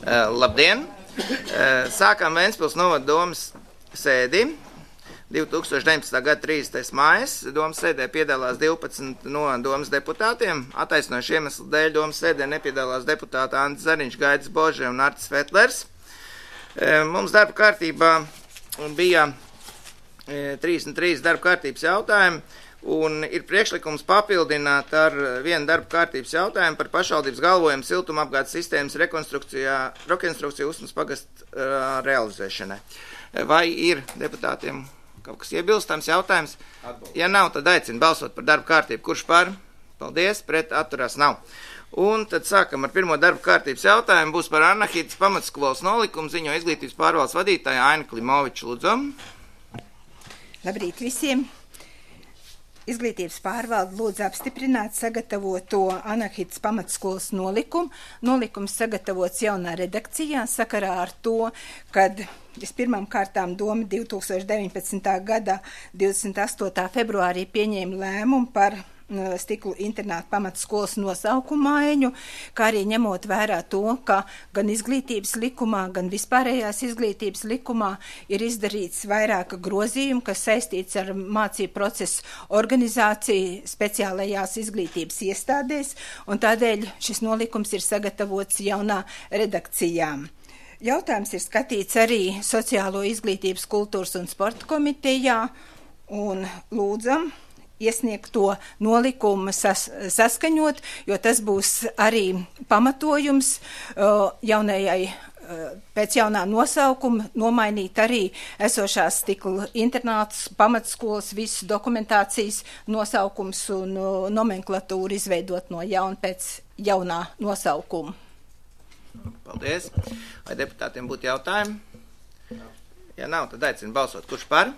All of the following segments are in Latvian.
Labdien! Sākām Ventspils novada domas sēdi. 2019. gada 30. mājas domas sēdē piedalās 12 no domas deputātiem. Attaisnojuši iemeslu dēļ domas sēdē nepiedalās deputāti Andris Zariņš, Gaidis Bože un Artis Fetlers. Mums darba kārtībā bija 33 darba kārtības jautājumi. Un ir priekšlikums papildināt ar vienu darba kārtības jautājumu par pašvaldības galvojumu siltumapgādes sistēmas rekonstrukciju Usmas pagasta realizēšanai. Vai ir deputātiem kaut kas iebilstams jautājums? Ja nav, tad aicinu balsot par darba kārtību. Kurš par? Paldies, pret atturās nav. Un tad sākam ar pirmo darba kārtības jautājumu. Būs par Anahītas pamatskolas nolikumu, ziņo izglītības pārvaldes vadītāja Aina Klimoviča. Lūdzu. Labrīt visiem! Izglītības pārvalde lūdz apstiprināt sagatavoto Anahītas pamatskolas nolikumu. Nolikums sagatavots jaunā redakcijā sakarā ar to, kad vispirmām kārtām doma 2019. gada 28. februārī pieņēma lēmumu par Stiklu internātu pamatskolas nosaukumu maiņu, kā arī ņemot vērā to, ka gan izglītības likumā, gan vispārējās izglītības likumā ir izdarīts vairāka grozījumu, kas saistīts ar mācību procesu organizāciju speciālajās izglītības iestādēs, un tādēļ šis nolikums ir sagatavots jaunā redakcijā. Jautājums ir skatīts arī Sociālo izglītības, kultūras un sporta komitejā, un lūdzam iesniegt to nolikumu saskaņot, jo tas būs arī pamatojums jaunajai, pēc jaunā nosaukuma nomainīt arī esošās Stikla internātas pamatskolas visu dokumentācijas nosaukums un nomenklatūru izveidot no jauna pēc jaunā nosaukuma. Paldies. Vai deputātiem būtu jautājumi? Ja nav, tad aicinu balsot. Kurš par?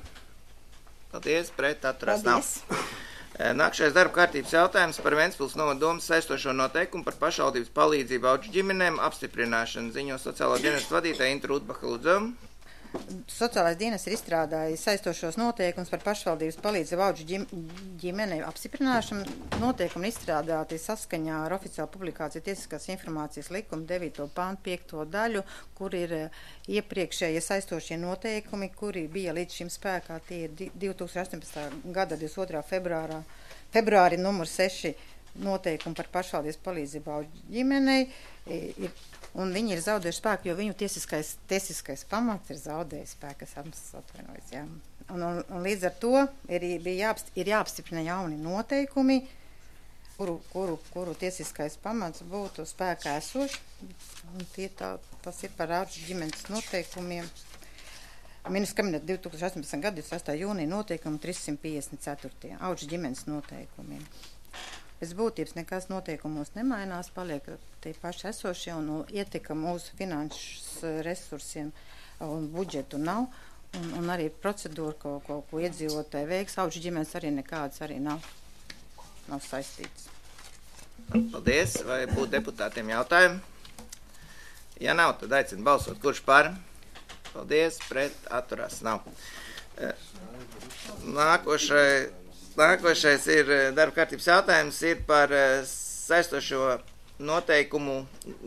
Paldies, pret atturās nav. Nākšais darba kārtības jautājums par Ventspils novada domas saistošo noteikumu par pašvaldības palīdzību auģu ģimenēm apstiprināšanu. Ziņo sociālā dienesta vadītāja Inta Rudbaha. Lūdzu. Sociālais dienas ir izstrādājis saistošos noteikumus par pašvaldības palīdzību auģu ģimenei apstiprināšanu. Noteikumi izstrādāti saskaņā ar oficiālu publikāciju tiesiskās informācijas likuma 9. pāntu 5. daļu, kur ir iepriekšējie saistošie noteikumi, kuri bija līdz šim spēkā. Tie ir 2018. gada 22. februāri numur 6 noteikumi par pašvaldības palīdzību auģu ģimenei. Un viņi ir zaudējuši spēku, jo viņu tiesiskais pamats ir zaudējis spēku, kas atvainojas. Jā. Un līdz ar to ir jāapstiprina jauni noteikumi, kuru tiesiskais pamats būtu spēkā esoši. Tas ir par auģu ģimenes noteikumiem. Ministra kabineta 2018. gada 28. jūnija noteikumu 354. auģu ģimenes noteikumiem. Pēc būtības nekas noteikumos nemainās, paliek tie paši esošie un ietekme mūsu finanšu resursiem un budžetu nav. Un arī procedūra, ko iedzīvotāji veiks, auģu ģimenes arī nekādas arī nav saistītas. Paldies. Vai būtu deputātiem jautājumi? Ja nav, tad aicinu balsot. Kurš par? Paldies. Pret atturās nav. Nākošais ir darba kārtības jautājums ir par saistošo noteikumu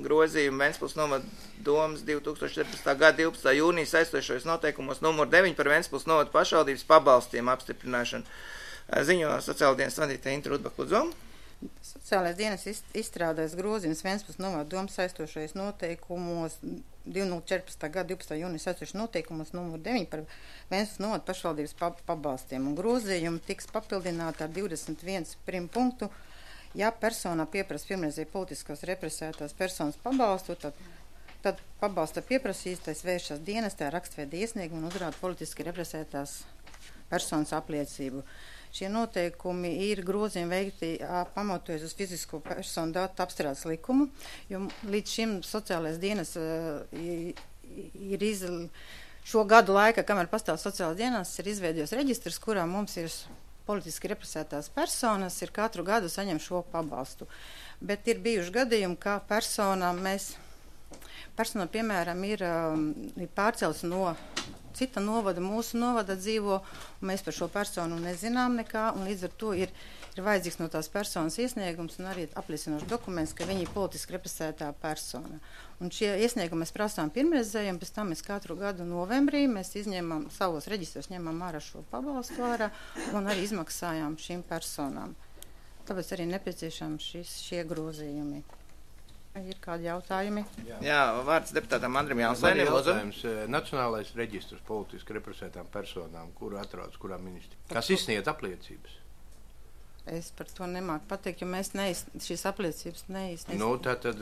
grozījumu Ventspils novada domas 2014. gada 12. jūnija saistošos noteikumos numur 9 par Ventspils novada pašvaldības pabalstiem apstiprināšanu. Ziņo sociāla dienas vadītāja Inta Rudbaha. Lūdzu. Sociālais dienas izstrādājas grozījums Ventspils novada domas saistošais noteikumos 2014. gada 12. jūnija saistošais noteikumos numur 9 par Ventspils novada pašvaldības pabalstiem. Un grozījumi tiks papildināti ar 21 punktu. Ja personā pieprasa pirmreizēji politiskās represētās personas pabalstu, tad pabalsta pieprasītais vēršas dienestā rakstveida iesniegumu un uzrāda politiski represētās personas apliecību. Šie noteikumi ir grozījumi veikti pamatojas uz fizisko personu datu apstrādes likumu, jo līdz šim sociālais dienas ir šo gadu laika, kamēr pastāv sociālais dienas, ir izveidojis reģistrs, kurā mums ir politiski represētās personas, ir katru gadu saņem šo pabalstu. Bet ir bijuši gadījumi, kā persona, piemēram, ir pārcels no cita novada, mūsu novada dzīvo, un mēs par šo personu nezinām nekā, un līdz ar to ir vajadzīgs no tās personas iesniegums un arī apliecinošs dokuments, ka viņi ir politiski represētā persona. Un šie iesniegumi mēs prasām pirmreizēji, un pēc tam mēs katru gadu novembrī mēs izņemam savos reģistros, ņemam ārā šo pabalstu ārā un arī izmaksājām šīm personām. Tāpēc arī nepieciešams šie grozījumi. Ir kādi jautājumi? Jā, vārds deputātam Andrim Jānsēnim. Jautājums, Nacionālais reģistrs politiski represētām personām, kuru atrodas kurā ministrī. Kas izsniedz apliecības? Es par to nemāku pateikt, jo mēs šīs apliecības neizsniedzam. Nu, tātad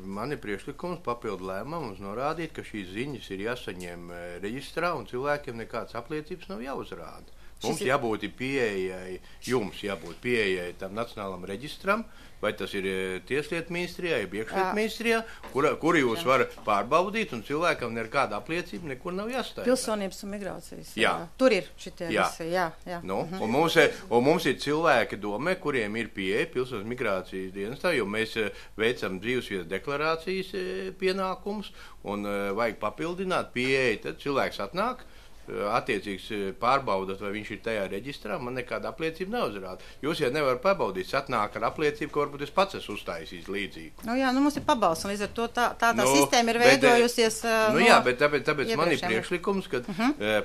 man ir priekšlikums papildu lēmums norādīt, ka šīs ziņas ir jāsaņem reģistrā un cilvēkiem nekādas apliecības nav jāuzrāda. Mums jābūt pieejai, jums jābūt pieejai tam nacionālam reģistram, vai tas ir Tieslietu ministrijā, iekšlietu ministrijā, kur jūs varat pārbaudīt, un cilvēkam nekāda apliecība nekur nav jāstāj. Pilsonības un migrācijas. Jā. Tur ir šitie visi, jā. Nu, un mums ir cilvēki domē, kuriem ir pieeja pilsonības migrācijas dienestā, jo mēs veicam dzīvesvietas deklarācijas pienākumus, un vajag papildināt pieeja, tad cilvēks atnāk, attiecīgs pārbaudat, vai viņš ir tajā reģistrā, man nekāda apliecība neuzrāda. Jūs jau nevarat pabaudīt, atnāk ar apliecību, ka varbūt es pats esmu uztaisījis līdzīgu. Nu jā, mums ir pabalsts, un līdz ar to tā sistēma ir veidojusies. Jā, bet tāpēc man ir priekšlikums, ka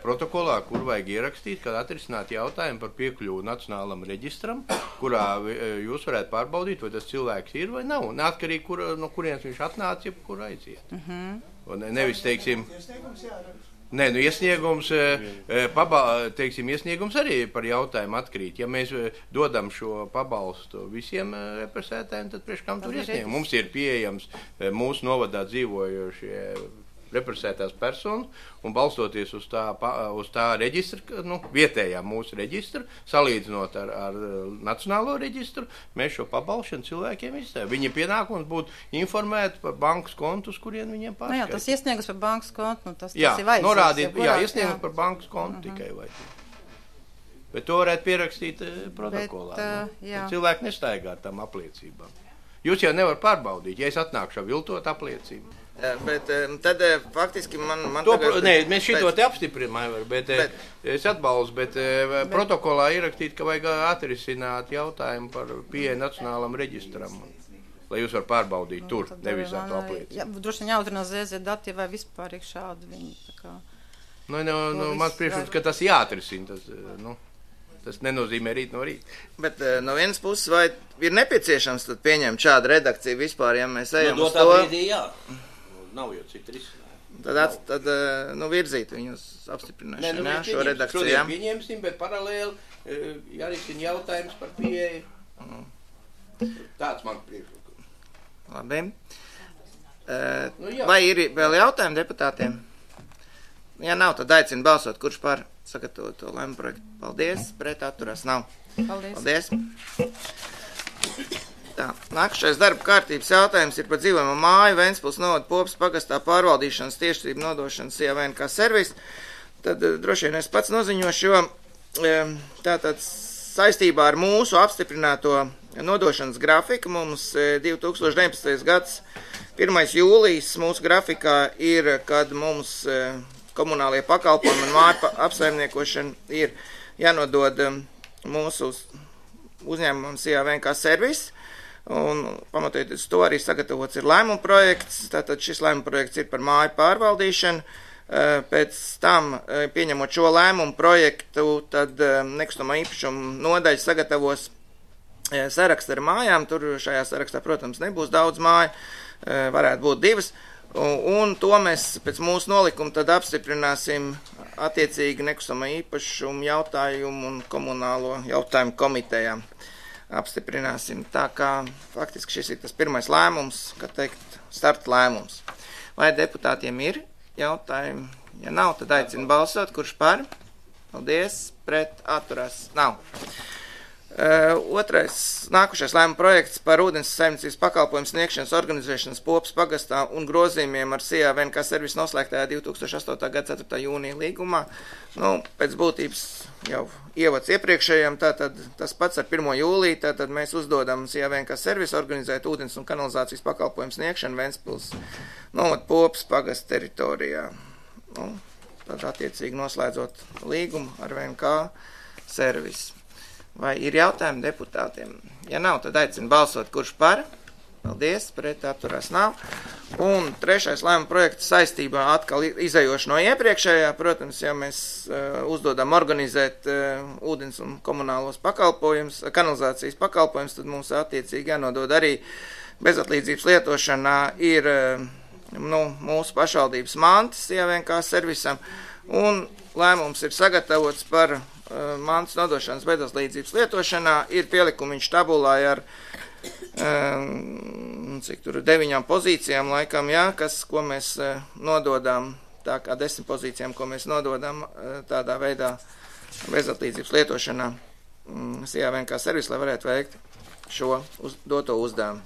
protokolā, kur vajag ierakstīt, kad atrisināt jautājumu par piekļuvu nacionālam reģistram, kurā jūs varētu pārbaudīt, vai tas cilvēks ir vai nav, neatkarīgi, no kurienes viņš atnāca, jeb kur aiziet. Un nevis, teiksim, nē, nu iesniegums, iesniegums arī par jautājumu atkrīt. Ja mēs dodam šo pabalstu visiem represētājiem, tad priekš kam tur iesniegums? Mums ir pieejams mūsu novadā dzīvojošie represētās personas, un balstoties uz tā reģistra, vietējā mūsu reģistra, salīdzinot ar nacionālo reģistru, mēs šo pabalšanu cilvēkiem izstāvjam. Viņa pienākums būtu informēt par bankas kontu, uz kurien viņiem pārskaitīt. Jā, tas iesniegums par bankas kontu, tas ir vajadzīgs. Norādīt, iesniegums par bankas kontu tikai vajadzīgs. Bet to varētu pierakstīt protokolā. Cilvēki nestaigā ar tām apliecībām. Jūs jau nevar pārbaudīt, ja es atnākšu ar viltot apliecību. Bet tad faktiski man mēs šito te apstiprinām, bet es atbalstu, bet protokolā ierakstīt, ka vajag atrisināt jautājumu par pieeju nacionālam reģistram, lai jūs var pārbaudīt tur, nevis ar to apliecību. Jā, droši vien jāutrunā ZZ dati vai vispār šādi viņi, tā kā. Mans priekšlikums, ka tas jāatrisina, tas nenozīmē rīt no rīta. Bet no vienas puses, vai ir nepieciešams tad pieņemt šādu redakciju vispār, ja mēs ejam uz to? Brīdī, jā. Nav jau citu risinājumu. Tad virzīt viņus apstiprināšanu, šo redakciju. Šodien pieņemsim, bet paralēli jārisina jautājums par pieeju. Tāds man priekšlikums. Labi. Vai ir vēl jautājumi deputātiem? Ja nav, tad aicinu balsot, kurš par sagatavot to lēmumu projektu. Paldies, pret atturās nav. Paldies. Tā, nākušais darba kārtības jautājums ir par dzīvojamo māju Ventspils novada Popas pagastā pārvaldīšanas tiešsaistību nodošanas CAVNK servis. Tad droši vien es pats noziņošu, jo tātad saistībā ar mūsu apstiprināto nodošanas grafiku mums 2019. gads 1. jūlijas mūsu grafikā ir, kad mums komunālie pakalpojumi un māju apsaimniekošana ir jānodod mūsu uzņēmumam CAVNK servis. Un pamatojoties to arī sagatavots ir lēmuma projekts, tātad šis lēmuma projekts ir par māju pārvaldīšanu. Pēc tam, pieņemot šo lēmumu projektu, tad nekustamā īpašuma nodaļa sagatavos sarakstu ar mājām. Tur šajā sarakstā, protams, nebūs daudz māju, varētu būt 2. Un to mēs pēc mūsu nolikuma tad apstiprināsim attiecīgi nekustamā īpašuma jautājumu un komunālo jautājumu komitejām. Apstiprināsim. Tā kā faktiski šis ir tas pirmais lēmums, kā teikt, starta lēmums. Vai deputātiem ir jautājumi? Ja nav, tad aicinu balsot. Kurš par? Paldies. Pret atturās. Nav. Nākušais lēmuma projekts par ūdens saimniecības pakalpojumu sniegšanas organizēšanas Popas pagastā un grozījumiem ar CAVNK servisu noslēgtajā 2008. gada 4. jūnija līgumā. Pēc būtības jau ievads iepriekšējiem, tātad tas pats ar 1. jūliju, tātad mēs uzdodam CAVNK servisu organizēt ūdens un kanalizācijas pakalpojumu sniegšanu Ventspils novada Popas pagasta teritorijā. tad attiecīgi noslēdzot līgumu ar VNK servisu. Vai ir jautājumi deputātiem? Ja nav, tad aicinu balsot, kurš par. Paldies, pret atturās nav. Un trešais lēmuma projekts saistībā atkal izējoši no iepriekšējā. Protams, ja mēs uzdodam organizēt ūdens un komunālos pakalpojumus, kanalizācijas pakalpojumus, tad mums attiecīgi jānodod arī bezatlīdzības lietošanā ir mūsu pašvaldības mantas VNK servisam. Un lēmums ir sagatavots par mantas nodošanas bezatlīdzības lietošanā. Ir pielikumiņš tabulā ar cik tur 9 pozīcijām laikam, jā, ko mēs nododam, tā kā 10 pozīcijām, ko mēs nododam tādā veidā bezatlīdzības lietošanā VNK servisu, lai varētu veikt šo doto uzdevumu.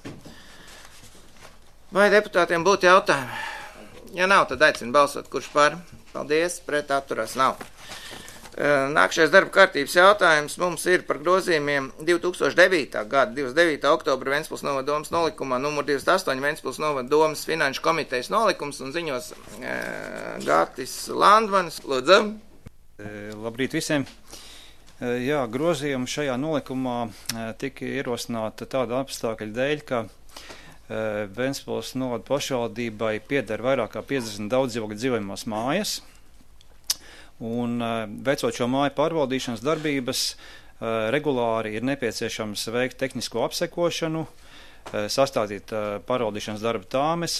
Vai deputātiem būtu jautājumi? Ja nav, tad aicinu balsot, kurš par. Paldies, pret atturās nav. Nākšais darba kārtības jautājums mums ir par grozījumiem 2009. gada 29. oktobra Ventspils novada domas nolikumā numur 28 Ventspils novada domas finanšu komitejas nolikums un ziņos Gatis Landvanis. Lūdzu. Labrīt visiem. Jā, grozījumi šajā nolikumā tika ierosināta tāda apstākļa dēļ, ka Ventspils novada pašvaldībai pieder vairāk kā 50 daudzdzīvokļu dzīvojamās mājas. Un veicot šo māju pārvaldīšanas darbības, regulāri ir nepieciešams veikt tehnisko apsekošanu, sastādīt pārvaldīšanas darba tāmes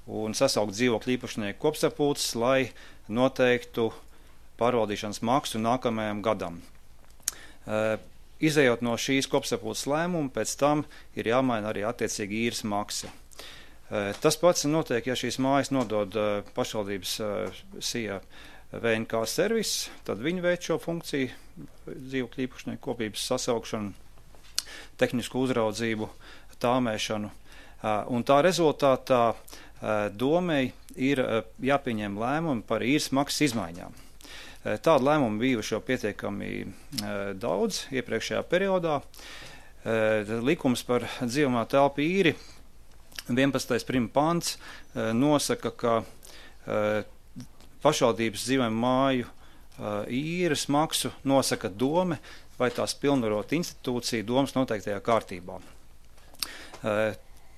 un sasaukt dzīvokļu īpašnieku kopsapulces, lai noteiktu pārvaldīšanas maksu nākamajam gadam. Izejot no šīs kopsapulces lēmuma, pēc tam ir jāmaina arī attiecīgi īres maksa. Tas pats notiek, ja šīs mājas nodod pašvaldības SIA VNK servis, tad viņi veic šo funkciju, dzīvokļu īpašnieku kopības sasaukšanu, tehnisku uzraudzību, tāmēšanu. Un tā rezultātā domei ir jāpieņem lēmumi par īres maksas izmaiņām. Tādu lēmumu bijuši jau pietiekami daudz iepriekšējā periodā. Likums par dzīvojamā telpu īri 11. prima pants nosaka, ka pašvaldības dzīvojamu māju īres maksu nosaka dome vai tās pilnvarot institūcija domas noteiktajā kārtībā.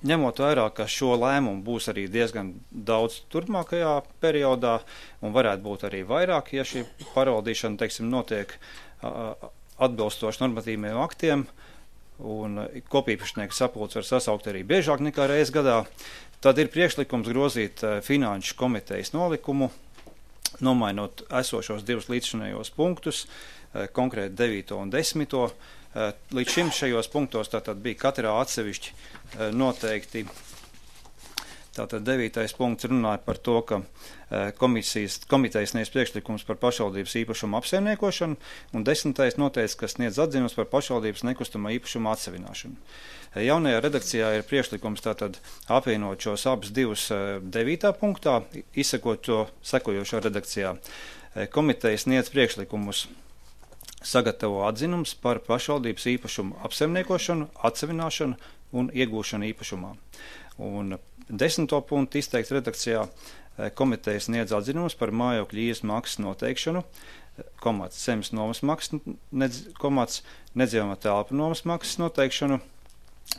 Ņemot vērā, ka šo lēmumu būs arī diezgan daudz turpmākajā periodā un varētu būt arī vairāk, ja šī pārvaldīšana, teiksim, notiek atbilstoši normatīviem aktiem un kopīpašnieku sapulce var sasaukt arī biežāk nekā reiz gadā, tad ir priekšlikums grozīt finanšu komitejas nolikumu, nomainot esošos divus līdzšinējos punktus, konkrēti 9. un 10. Līdz šim šajos punktos tātad bija katrā atsevišķi noteikti. Tātad 9. punkts runāja par to, ka komitejas sniedz priekšlikums par pašvaldības īpašumu apsaimniekošanu, un 10. noteica, ka sniedz atzinums par pašvaldības nekustamā īpašuma atsevināšanu. Jaunajā redakcijā ir priekšlikums tātad apvienot šos abus divus 9. punktā, izsekot to sekojošā redakcijā. Komiteja sniedz priekšlikumus sagatavo atzinums par pašvaldības īpašumu apsaimniekošanu, atsevināšanu un iegūšanu īpašumā. Un 10. punktu izteikts redakcijā komiteja sniedz atzinumus par mājokļu īres maksas noteikšanu, zemes nomas maksas, nedzīvojamā telpu nomas maksas noteikšanu,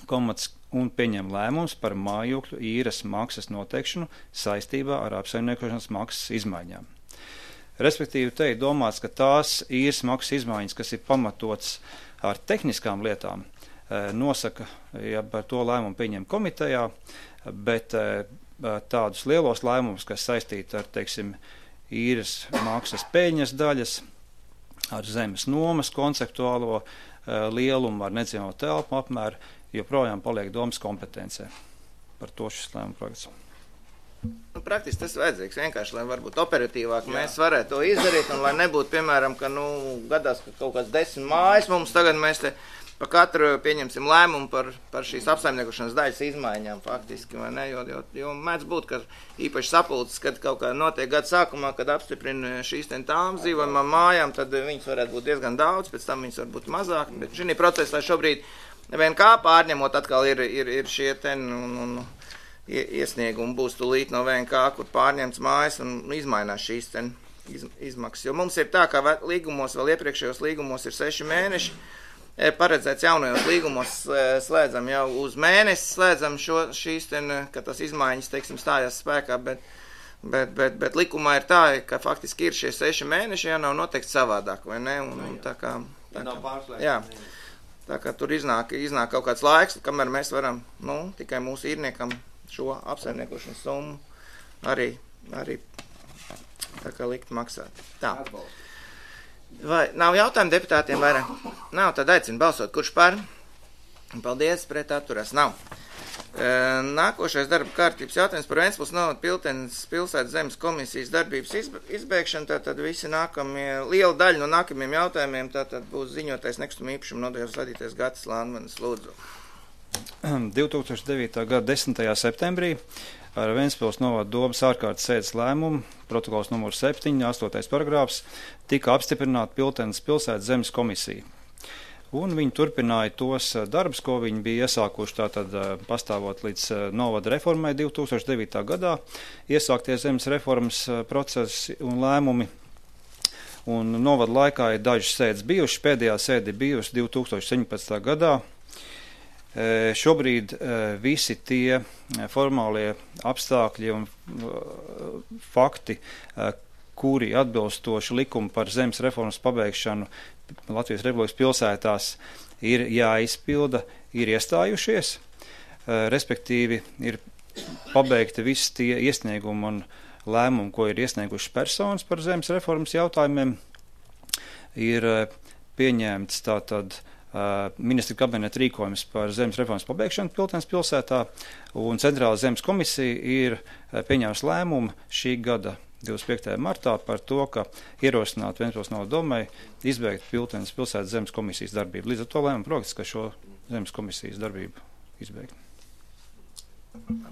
un pieņem lēmums par mājokļu īres maksas noteikšanu saistībā ar apsaimniekošanas maksas izmaiņām. Respektīvi, te ir domāts, ka tās īres maksas izmaiņas, kas ir pamatots ar tehniskām lietām, nosaka, ja par to lēmumu pieņem komitejā, bet tādus lielos lēmumus, kas saistīti ar, teiksim, īres maksas peļņas daļas, ar zemes nomas konceptuālo lielumu, ar nedzīvojamo telpu apmēru, joprojām paliek domas kompetencē. Par to šis lēmuma projekts. Praktiski tas vajadzīgs vienkārši, lai varbūt operatīvāk mēs varētu to izdarīt, un lai nebūtu, piemēram, ka gadās kaut kāds 10 mājas mums tagad mēs te pa katru pieņemsim lēmumu par šīs apsaimniekošanas daļas izmaiņām faktiski, vai ne, jo mēdz būt, ka īpaši sapulces, kad kaut kā notiek gada sākumā, kad apstiprina šīs tām dzīvojamām mājām, tad viņas varētu būt diezgan daudz, pēc tam viņas var būt mazāk, bet šī procesā šobrīd VNK pārņemot atkal ir šie iesniegumi būs tūlīt no VNK, kur pārņemts mājas un izmainās šīs izmaksas. Jo mums ir tā, kā līgumos, vēl iepriekšējos līgumos ir 6 mēneši, paredzēts jaunajos līgumos slēdzam jau uz mēnesi, slēdzam šīs, ka tas izmaiņas, teiksim, stājās spēkā, bet likumā ir tā, ka faktiski ir šie 6 mēneši, ja nav noteikti savādāk, vai ne? Un tā kā jā. Tā kā tur iznāk kaut kāds laiks, kamēr mēs varam, tikai mūsu īrniekam šo apsaimniekošanas summu arī tā kā likt maksāt. Tā. Vai nav jautājumu deputātiem vairāk? Nav, tad aicinu balsot, kurš par? Paldies, pret atturās nav. Nākošais darba kārtības jautājums par Ventspils novada Piltenes pilsētas zemes komisijas darbības izbeigšanu. Tātad visi liela daļa no nākamajiem jautājumiem tātad būs ziņotais nekustamā īpašuma nodaļas vadītājs Gatis Landmanis. Lūdzu. 2009. gada 10. septembrī ar Ventspils novada domas ārkārtas sēdes lēmumu, protokols numur 7, 8. paragrāfs, tika apstiprināta Piltenes pilsētas zemes komisija. Un viņi turpināja tos darbus, ko viņi bija iesākuši tātad pastāvot līdz novada reformai 2009. gadā, iesāktie zemes reformas procesi un lēmumi. Un novada laikā ir dažas sēdes bijušas, pēdējā sēde bijusi 2017. gadā. Šobrīd visi tie formālie apstākļi un fakti, kuri atbilstoši likumu par zemes reformas pabeigšanu Latvijas Republikas pilsētās ir jāizpilda, ir iestājušies, respektīvi ir pabeigti visi tie iesniegumi un lēmumi, ko ir iesnieguši personas par zemes reformas jautājumiem, ir pieņemts tātad ministra kabineta rīkojums par zemes reformas pabeigšanu Piltenes pilsētā, un Centrāla zemes komisija ir pieņēmusi lēmumu šī gada 25. martā par to, ka ierosināt Ventspils novada domai izbeigt Piltenes pilsētas zemes komisijas darbību. Līdz ar to lēmumu projekts, ka šo zemes komisijas darbību izbeigt.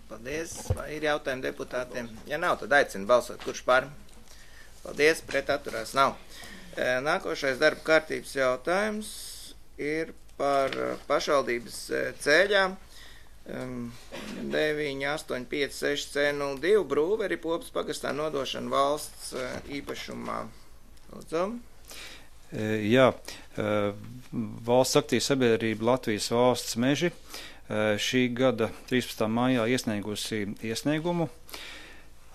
Paldies. Vai ir jautājumi deputātiem? Ja nav, tad aicinu balsot. Kurš par? Paldies. Pret atturās nav. Nākošais darba kārtības jautājums ir par pašvaldības ceļām. 9856 C02 Brūveri Popas pagastā nodošana valsts īpašumā. Lūdzu. Jā, valsts aktīva sabiedrība Latvijas valsts meži šī gada 13. maijā iesniegusi iesniegumu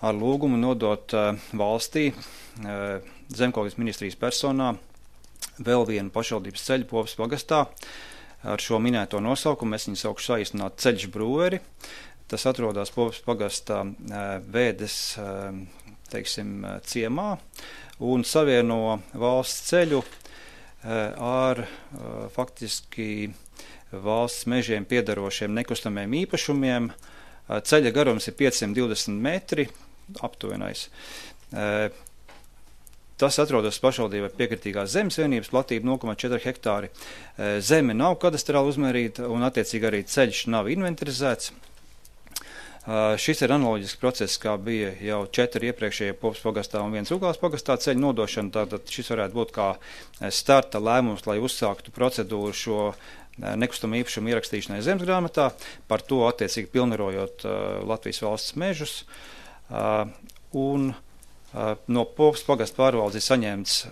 ar lūgumu nodot valstī Zemkopības ministrijas personā vēl vienu pašvaldības ceļu Popas pagastā. Ar šo minēto nosaukumu es viņu saukšu saīsināt Ceļš Brūveri. Tas atrodas Popas pagastā Vēdes, teiksim, ciemā un savieno valsts ceļu ar faktiski valsts mežiem piedarošiem nekustamiem īpašumiem. Ceļa garums ir 520 metri, aptuvenais. Tas atrodas pašvaldībai piekritīgās zemes vienības, platība 0,4 hektāri. Zeme nav kadastrāli uzmērīta un attiecīgi arī ceļš nav inventarizēts. Šis ir analoģisks process, kā bija jau 4 iepriekšējie Popas pagastā un 1 Ugāles pagastā ceļu nodošana. Tātad šis varētu būt kā starta lēmums, lai uzsāktu procedūru šo nekustamo īpašumu ierakstīšanai zemesgrāmatā, par to attiecīgi pilnvarojot Latvijas valsts mežus. Un no Popas pagasta pārvaldes ir saņemts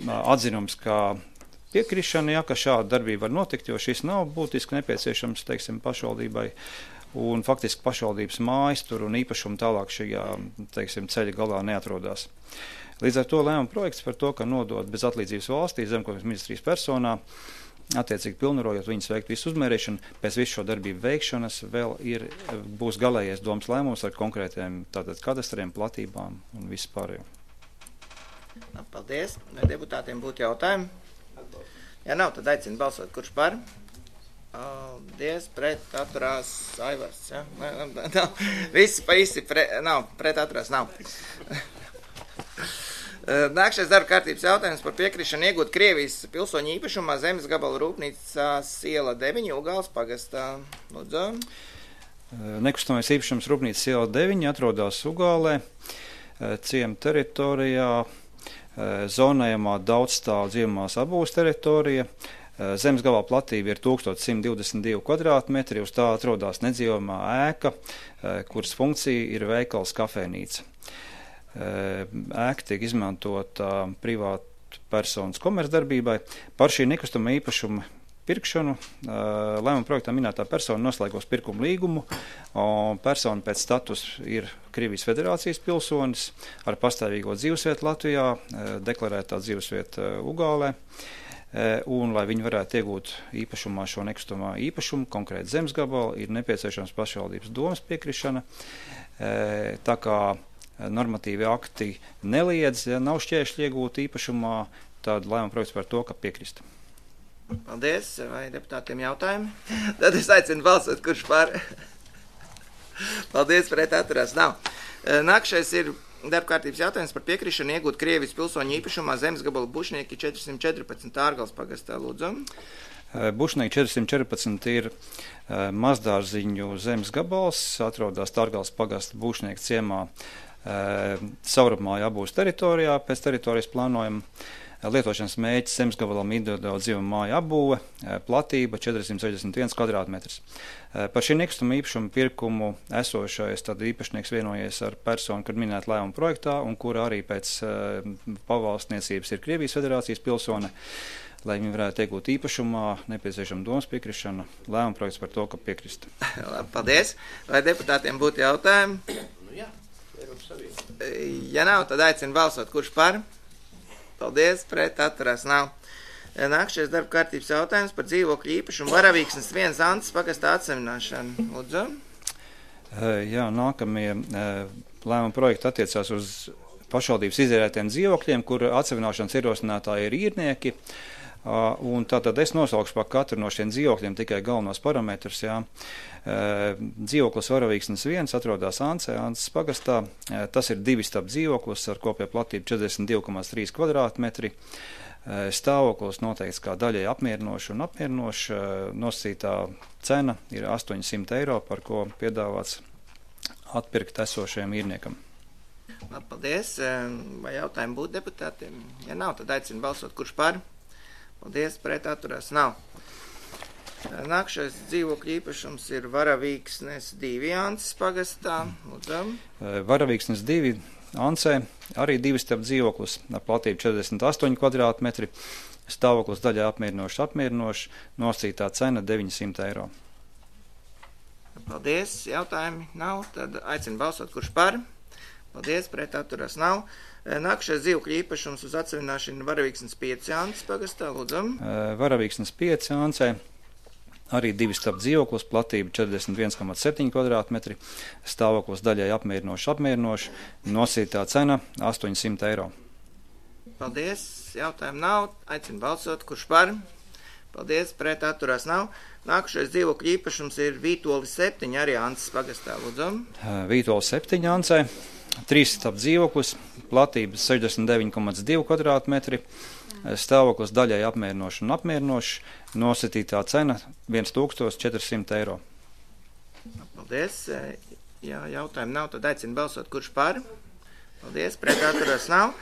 atzinums, kā piekrišana, ja, ka šāda darbība var notikt, jo šis nav būtiski nepieciešams, teiksim, pašvaldībai. Un faktiski pašvaldības mājas tur un īpašumi tālāk šajā, teiksim, ceļa galā neatrodās. Līdz ar to lēmuma projekts par to, ka nodot bez atlīdzības valstī Zemkopības ministrijas personā, attiecīgi pilnvarojot viņas veikt visu uzmērīšanu, pēc visu šo darbību veikšanas vēl būs galējais domas lēmums ar konkrētiem tātad kadastriem, platībām un visu pārējo. Paldies. Vai deputātiem būtu jautājumi? Ja nav, tad aicinu balsot. Kurš par? Paldies. Pret atturās Aivars. Ja? Visi pret atturās nav. Nākšais darba kārtības jautājums par piekrišanu iegūt Krievijas pilsoņu īpašumā zemes gabala rūpnīcās iela 9 Ugāles pagastā. Lūdzu. Nekustamais īpašums rūpnīcas iela 9 atrodas Ugālē, ciema teritorijā, zonējumā daudzstāvu dzīvumās abūs teritorija. Zemes gabala platība ir 1122 kvadrātmetri, uz tā atrodas nedzīvojamā ēka, kuras funkcija ir veikals kafejnīca. ēka tiek izmantota privātu personas komercdarbībai. Par šī nekustama īpašuma pirkšanu lēmuma projektā minētā persona noslēgos pirkuma līgumu, un persona pēc status ir Krievijas Federācijas pilsonis ar pastāvīgo dzīvesvietu Latvijā, deklarētā dzīvesvieta Ugālē, un, lai viņi varētu iegūt īpašumā šo nekustamā īpašumu, konkrēti zemes gabalu, ir nepieciešams pašvaldības domas piekrišana, tā kā normatīvi akti neliedz, ja nav šķēršļi iegūt īpašumā, tad lēmuma projekts par to, ka piekrist. Paldies, vai deputātiem jautājumi? Tad es aicinu balsot, kurš par. Paldies, pret atturās nav. Nākšais ir darbkārtības jautājums par piekrišanu iegūt Krievijas pilsoņu īpašumā zemes gabalu Bušnieki 414 Ārgales pagastā, lūdzu. Bušnieki 414 ir mazdārziņu zemes gabals, atrodas Ārgales pagasta Bušnieku ciemā savrupmāju abūs teritorijā, pēc teritorijas plānojuma. Lietošanas mēģis zemes gabalam individuāla dzīvuma māja apbūve, platība 461 kvadrātmetrs. Par šī nekustama īpašuma pirkumu esošais tad īpašnieks vienojies ar personu, kad minēt lēmuma projektā, un kura arī pēc pavalstniecības ir Krievijas Federācijas pilsone, lai viņi varētu iegūt īpašumā, nepieciešama domas piekrišana, lēmuma projekts par to, ka piekrist. Labi, paldies. Vai deputātiem būtu jautājumi? Jā, Eiropas Savienība. Ja nav, tad aicinu balsot, kurš par. Paldies, pret atturās nav. Nākšais darba kārtības jautājums par dzīvokļu īpašumu Varavīksnes 1 Antas pagastā atsevināšanu. Lūdzu. Jā, nākamie lēmuma projekti attiecās uz pašvaldības izierētiem dzīvokļiem, kur atsevināšanas ierosinātāji ir īrnieki. Un tātad es nosaukšu par katru no šiem dzīvokļiem tikai galvenos parametrus. Jā. Dzīvoklis Varavīksnes 1 atrodas Antas pagastā. Tas ir 2 stāvu dzīvoklis ar kopējo platību 42,3 kvadrātmetri. Stāvoklis noteikts kā daļai apmierinoši un apmierinoši. Nosacītā cena ir 800 eiro, par ko piedāvāts atpirkt esošajam īrniekam. Labi, paldies. Vai jautājumi būtu deputātiem? Ja nav, tad aicinu balsot, kurš par. Paldies, pret atturās nav. Nākšais dzīvokļu īpašums ir Varavīksnes 2 Antas pagastā. Lūdzu. Varavīksnes 2 Ansē arī 2 stāvu dzīvoklis ar platību 48 kvadrātmetri. Stāvoklis daļai apmierinoši, nosacītā cena 900 eiro. Paldies, jautājumi nav, tad aicinu balsot, kurš par. Paldies, pret atturās nav. Nākšais dzīvokļu īpašums uz atsevināšanu Varavīksnes 5 Antas pagastā. Lūdzu. Varavīksnes 5 Ansē. Arī 2 stāvu dzīvoklis, platība 41,7 kvadrātmetri, stāvoklis daļai apmierinoši, nosacītā cena 800 eiro. Paldies, jautājumu nav, aicinu balsot, kurš par. Paldies, pret atturās nav. Nākušais dzīvokļu īpašums ir Vītoli 7, arī Antas pagastā, lūdzu. Vītoli 7 Ansē, 3 stāvu dzīvoklis, platība 69,2 kvadrātmetri, stāvoklis daļai apmierinoši, nosacītā cena 1400 eiro. Paldies. Ja jautājumu nav, tad aicinu balsot, kurš par. Paldies, pret atturās nav.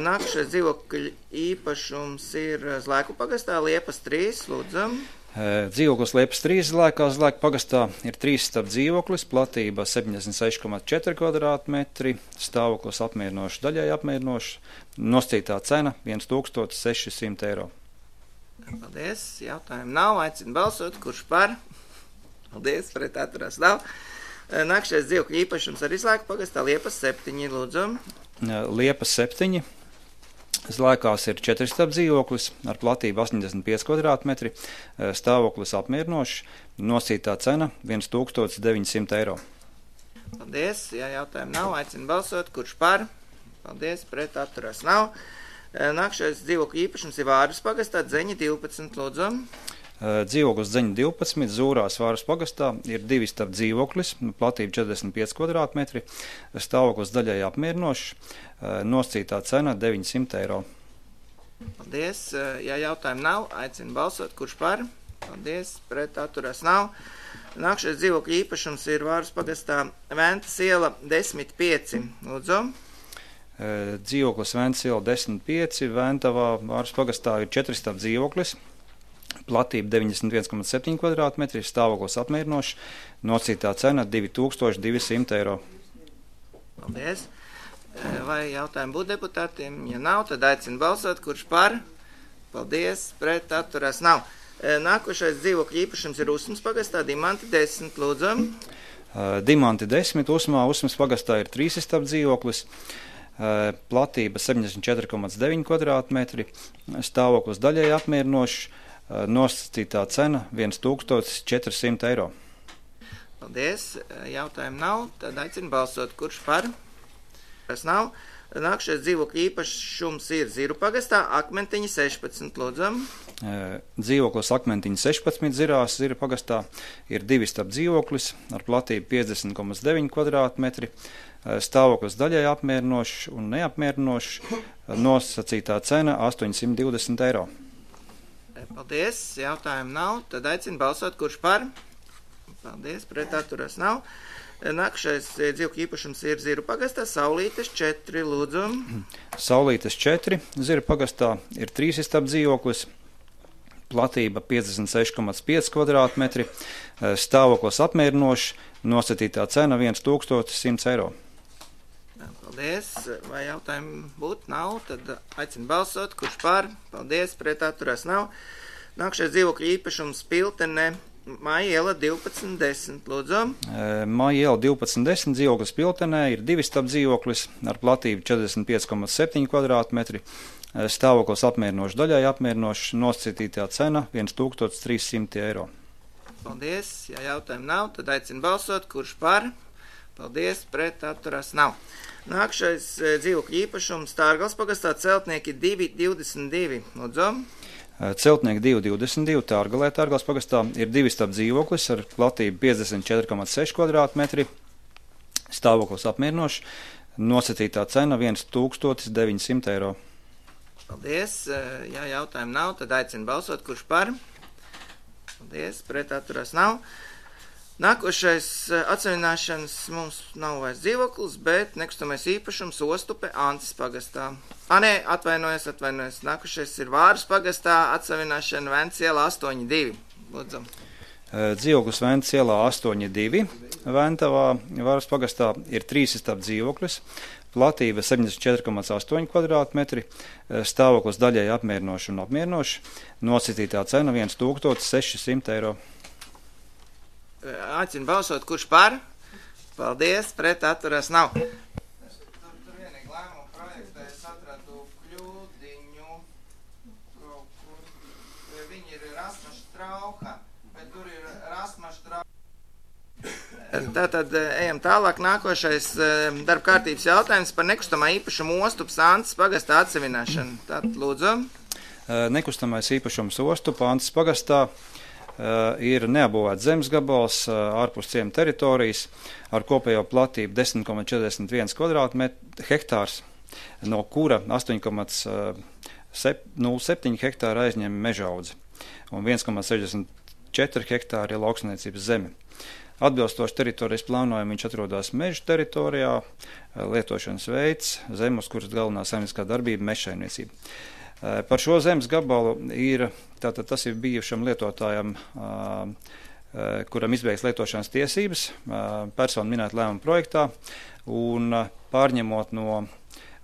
Nākušais dzīvokļu īpašums ir Zlēku pagastā, Liepas 3, lūdzu. Dzīvoklis Liepas 3 Zlēku pagastā ir 3 stāvu dzīvoklis, platība 76,4 kvadrātmetri, stāvoklis daļai apmierinoši, nosacītā cena 1600 eiro. Paldies, jautājumu nav, aicinu balsot, kurš par. Paldies, pret atturās nav. Nākšais dzīvokļu īpašums arī Zlēku pagastā, Liepas 7, lūdzu. Liepas 7. Zlēkās ir 4 stāvu dzīvoklis ar platību 85 kvadrātmetri, stāvoklis apmierinoši, nosacītā cena 1900 eiro. Paldies, ja jautājumu nav, aicinu balsot, kurš par. Paldies, pret atturās nav. Nākšais dzīvokļu īpašums ir Vāras pagastā, Dzeņa 12, lūdzu. Dzīvoklis Dzeņa 12, Zūrās Vāras pagastā ir 2 stāvu dzīvoklis, platība 45 kvadrātmetri, stāvoklis daļai apmierinoši, nosacītā cena 900 eiro. Paldies, ja jautājumu nav, aicinu balsot, kurš par. Paldies, pret atturās nav. Nākšais dzīvokļu īpašums ir Vāras pagastā, Ventas iela 10,5, lūdzu. Dzīvoklis Ventas iela 10,5, Ventavā Vāras pagastā ir 4 stāvu dzīvoklis, platība 91,7 kvadrātmetri, stāvoklis apmierinoši, nosacītā cena 2200 eiro. Paldies. Vai jautājumi būtu deputātiem? Ja nav, tad aicinu balsot, kurš par. Paldies, pret atturās nav. Nākošais dzīvokļu īpašums ir Usmas pagastā, Dimanti 10, lūdzu. Dimanti 10, Usmas pagastā ir 3 istabu dzīvoklis, platība 74,9 kvadrātmetri, stāvoklis daļai apmierinošs, nosacītā cena 1400 eiro. Paldies, jautājumu nav, tad aicinu balsot, kurš par. Tas nav. Nākšais dzīvokļu īpašums ir Ziru pagastā, Akmentiņa 16, lūdzu. Dzīvoklis Akmentiņa 16 Zirās, Ziru pagastā ir 2 istabu dzīvoklis ar platību 50,9 kvadrātmetri, stāvoklis daļai apmierinošs un neapmierinošs, nosacītā cena 820 eiro. Paldies, jautājumu nav, tad aicinu balsot, kurš par. Paldies, pret atturās nav. Nākšais dzīvokļu īpašums ir Ziru pagastā, Saulītes 4, lūdzu. Saulītes 4, Ziru pagastā ir 3 istabu dzīvoklis, platība 56,5 kvadrātmetri, stāvoklis apmierinošs, nosacītā cena 1100 eiro. Paldies, vai jautājumi būtu? Nav, tad aicinu balsot, kurš par. Paldies, pret atturās nav. Nākšais dzīvokļu īpašums Piltene, Māja iela 1210, lūdzu. Māja iela 1210, dzīvoklis Piltenē ir 2 istabu dzīvoklis ar platību 45,7 kvadrātmetri, stāvoklis apmierinošs, daļai apmierinošs, nosacītā cena 1300 eiro. Paldies, ja jautājumu nav, tad aicinu balsot, kurš par. Paldies, pret atturās nav. Nākšais dzīvokļu īpašums Tārgals pagastā, Celtnieki 222, lūdzu. Celtnieki 222, Tārgalē, Tārgals pagastā ir 2 istabu dzīvoklis ar platību 54,6 kvadrātmetri, stāvoklis apmierinošs, nosacītā cena 1900 eiro. Paldies, ja jautājumu nav, tad aicinu balsot, kurš par. Paldies, pret atturās nav. Nākošais atseviļināšanas mums nav vairs dzīvoklis, bet nekustamais īpašums Ostupe Ancis pagastā. Atvainojos. Nākošais ir Vāras pagastā, atseviļināšana Ventas ielā 8-2. Lūdzu. Dzīvoklis Ventas ielā 8-2. Ventavā Vāras pagastā ir 3 istabu dzīvoklis, platība 74,8 kvadrātmetri, stāvoklis daļai apmierinošs un apmierinošs, nosacītā cena 1600 eiro. Aicinu balsot, kurš par. Paldies, pret atturās nav. Tur vienīgi lēmumu projektā es atradu kļūdiņu kaut kur. Viņi ir Rasmaštrauha, bet tur ir Rasmaštrauha. Tātad ejam tālāk. Nākošais darba kārtības jautājums par nekustamā īpašumu Ostupas Ancis pagastā atsevināšanu. Tātad lūdzu. Nekustamais īpašums Ostupa Ancis pagastā ir neapbūvēts zemes gabals ārpus ciema teritorijas ar kopējo platību 10,41 hektārs, no kura 8,07 hektāra aizņem mežaudzi un 1,64 hektāri ir lauksaimniecības zeme. Atbilstoši teritorijas plānojumu viņš atrodas meža teritorijā, lietošanas veids, zeme, uz kuras galvenā saimnieciskā darbība mežsaimniecība. Par šo zemes gabalu tas ir bijušam lietotājam, kuram izbeigts lietošanas tiesības, persona minēta lēmuma projektā, un pārņemot no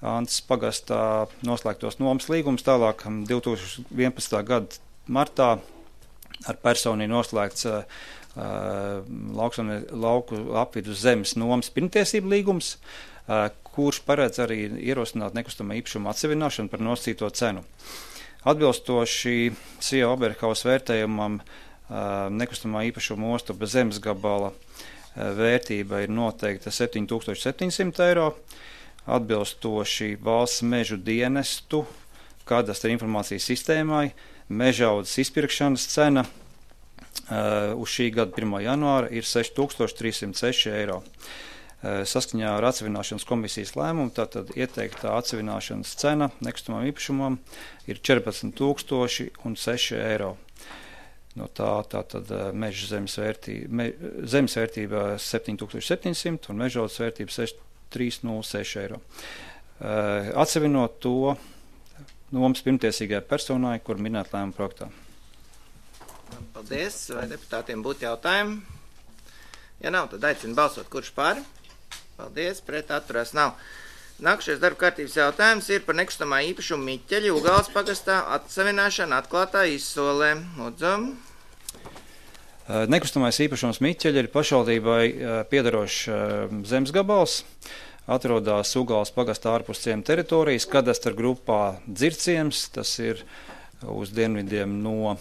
Ancis pagastā noslēgtos nomas līgumus, tālāk 2011. Gada martā ar personu noslēgts lauku apvidus zemes nomas pirmtiesību līgums, kurš paredz arī ierosināt nekustamā īpašuma atsevināšanu par nosacīto cenu. Atbilstoši CIA Oberhaus vērtējumam nekustamā īpašuma Ostupa zemes gabala vērtība ir noteikta 7700 eiro, atbilstoši valsts mežu dienestu kadastra informācijas sistēmai mežaudzes izpirkšanas cena uz šī gada 1. janvāra ir 6306 eiro. Saskaņā ar atsevināšanas komisijas lēmumu, tātad ieteiktā atsevināšanas cena nekustamam īpašumam ir 14,006 eiro. No tātad meža zemes vērtība 7700 un mežaudzes vērtība 6306 eiro. Atsevinot to nomas pirmtiesīgajai personai, kur minēt lēmuma projektā. Paldies. Vai deputātiem būtu jautājumi? Ja nav, tad aicinu balsot, kurš par. Paldies, pret atturās nav. Nākušais darba kārtības jautājums ir par nekustamā īpašuma Miķeļa Ugāles pagastā atsavināšanu atklātā izsolē. Lūdzu. Nekustamais īpašums Miķeļa ir pašvaldībai piederošs zemes gabals. Atrodas Ugāles pagastā ārpus ciema teritorijas, kadastra grupā Dzirciems. Tas ir uz dienvidiem no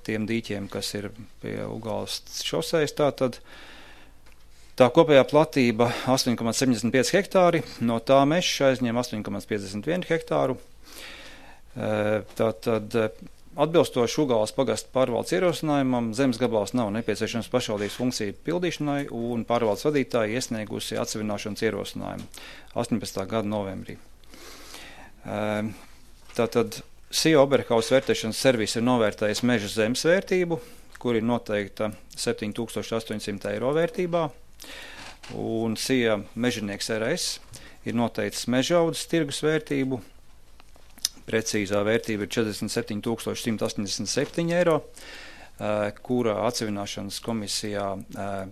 tiem dīķiem, kas ir pie Ugāles šosejas. Tā kopējā platība 8,75 hektāri, no tā mežs aizņem 8,51 hektāru. Tātad atbilstoši Ugāles pagasta pārvaldes ierosinājumam, zemes gabals nav nepieciešams pašvaldības funkciju pildīšanai, un pārvaldes vadītāji iesniegusi atsavināšanas ierosinājumu 18. gada novembrī. Tātad SIA Oberhaus vērtēšanas servis ir novērtējis meža zemes vērtību, kur ir noteikta 7800 eiro vērtībā, un SIA mežinieks RS ir noteicis mežaudzes tirgus vērtību. Precīzā vērtība ir 47 187 eiro, kura atsavināšanas komisijā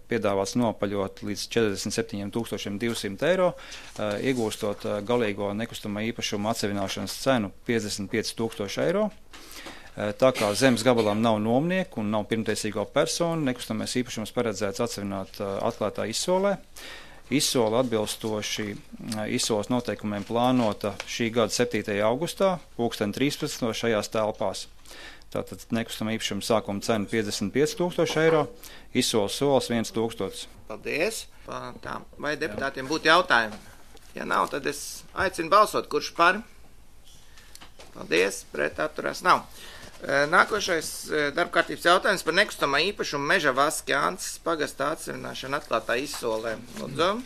piedāvāts nopaļot līdz 47 200 eiro, iegūstot galīgo nekustamā īpašuma atsavināšanas cenu 55 000 eiro. Tā kā zemes gabalam nav nomnieku un nav pirmtiesīgo personu, nekustamais īpašums paredzēts atsavināt atklātā izsolē. Izsola atbilstoši izsoles noteikumiem plānota šī gada 7. augustā, 13. šajās telpās. Tātad nekustamā īpašuma sākuma cena 55 000 eiro, izsoles solis 1 000. Paldies. Vai deputātiem būtu jautājumi? Ja nav, tad es aicinu balsot, kurš par. Paldies, pret atturās nav. Nākošais darba kārtības jautājums par nekustamā īpašumu Meža Vaski Ances pagastā atsavināšanu atklātā izsolē. Lūdzu.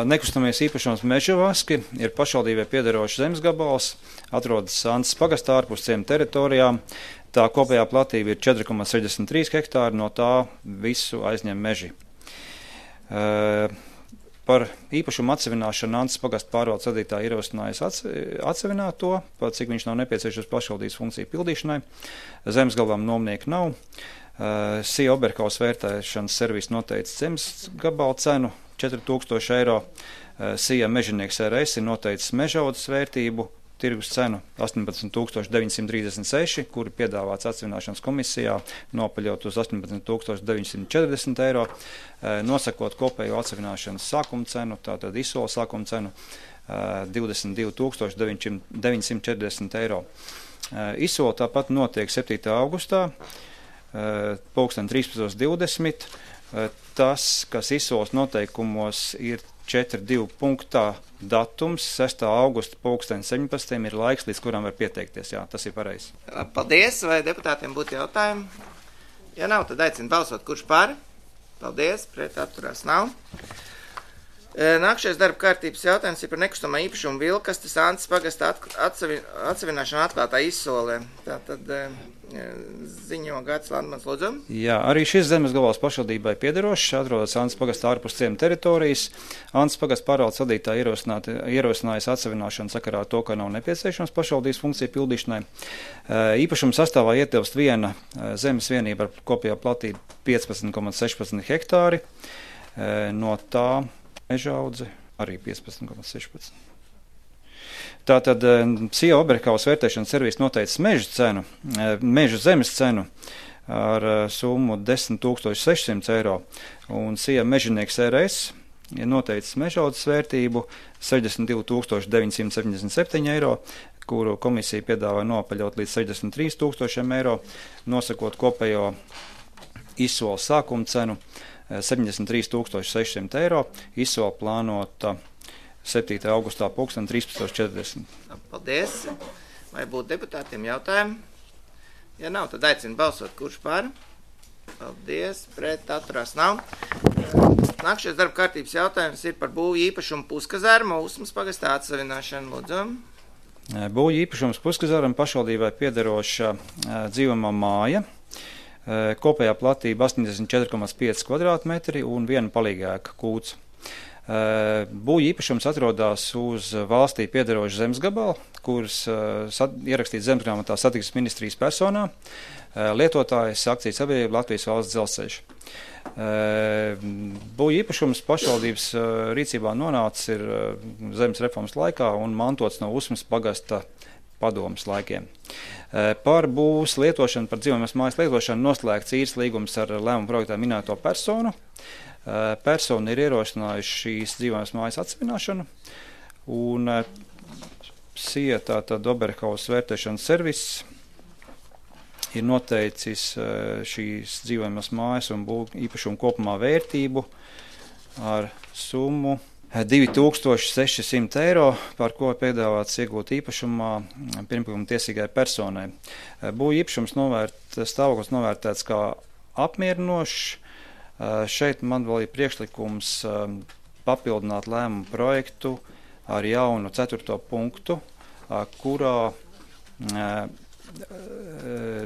Nekustamies īpašums Meža Vaski ir pašvaldībai piederošs zemes gabals, atrodas Ances pagastā ārpus ciema teritorijām. Tā kopējā platība ir 4,63 hektāri, no tā visu aizņem meži. Par īpašumu atsavināšanu Ances pagasta pārvaldes vadītāja ierosinājusi atsavināt to, cik viņš nav nepieciešams pašvaldības funkciju pildīšanai. Zemes gabalam nomnieku nav. SIA Oberhaus vērtēšanas servis noteicis zemes gabala cenu 4000 eiro. SIA mežinieks RS ir noteicis mežaudzes vērtību, tirgus cenu 18 936, kuri piedāvāts atsavināšanas komisijā nopaļot uz 18 940 eiro, nosakot kopējo atsavināšanas sākuma cenu, tātad izsoles sākuma cenu 22 940 eiro. Izsole tāpat notiek 7. augustā, 13:20. Tas, kas izsoles noteikumos ir 4.2 punktā datums, 6. augusta 17. ir laiks, līdz kuram var pieteikties. Jā, tas ir pareizi. Paldies, vai deputātiem būtu jautājumi? Ja nav, tad aicinu balsot, kurš par. Paldies, pret atturās nav. Nākšais darba kārtības jautājums ir par nekustamā īpašumu Vilkastes Ances pagastā atsavināšanu atklātā izsolē. Tātad ziņo Gārds Landmans, lūdzu. Jā, arī šis zemes gabals pašvaldībai piederošs, atrodas Ances pagastā ārpus ciema teritorijas. Ances pagasta pārvaldes vadītāja ierosinājusi atsavināšanu sakarā ar to, ka nav nepieciešams pašvaldības funkciju pildīšanai. Īpašuma sastāvā ietilpst viena zemes vienība ar kopējā platību 15,16 hektāri. No tā mežaudze arī 15,16. Tātad SIA Oberhaus vērtēšanas servis noteicis meža zemes cenu ar summu 10 600 eiro, un SIA mežinieks RS ir noteicis mežaudzes vērtību 62 977 eiro, kuru komisija piedāvā nopaļot līdz 63 000 eiro, nosakot kopējo izsoles sākuma cenu 73 600 eiro, izsole plānota 7. augustā 13:40. Paldies. Vai būtu deputātiem jautājumi? Ja nav, tad aicinu balsot, kurš par. Paldies, pret atturās nav. Nākšais darba kārtības jautājums ir par būvju īpašumu Puskazārma Usmas pagastā atsavināšanu. Lūdzu. Būvju īpašums Puskazāram pašvaldībai piederoša dzīvojamā māja. Kopējā platība 84,5 kvadrātmetri un viena palīgēka kūts. Būvju īpašums atrodas uz valstī piederošu zemes gabalu, kuras ierakstīts zemesgrāmatā satiksmes ministrijas personā. lietotājs akciju sabiedrība Latvijas valsts dzelzceļš. Būvju īpašums pašvaldības rīcībā nonācis ir zemes reformas laikā un mantots no Usmas pagasta padomas laikiem. Par būvs lietošanu, par dzīvojamas mājas lietošanu noslēgts īres līgums ar lēmumu projektā minēto personu. Persona ir ierosinājuši šīs dzīvojamas mājas atsevināšanu un SIA, tātad Oberhaus vērtēšanas servis, ir noteicis šīs dzīvojamas mājas un būvju īpašumu kopumā vērtību ar summu 2600 eiro, par ko piedāvāts iegūt īpašumā pirmkuma tiesīgai personai. Būvju īpašums stāvoklis novērtēts kā apmierinošs. Šeit man vēl ir priekšlikums papildināt lēmumu projektu ar jaunu 4. punktu, kurā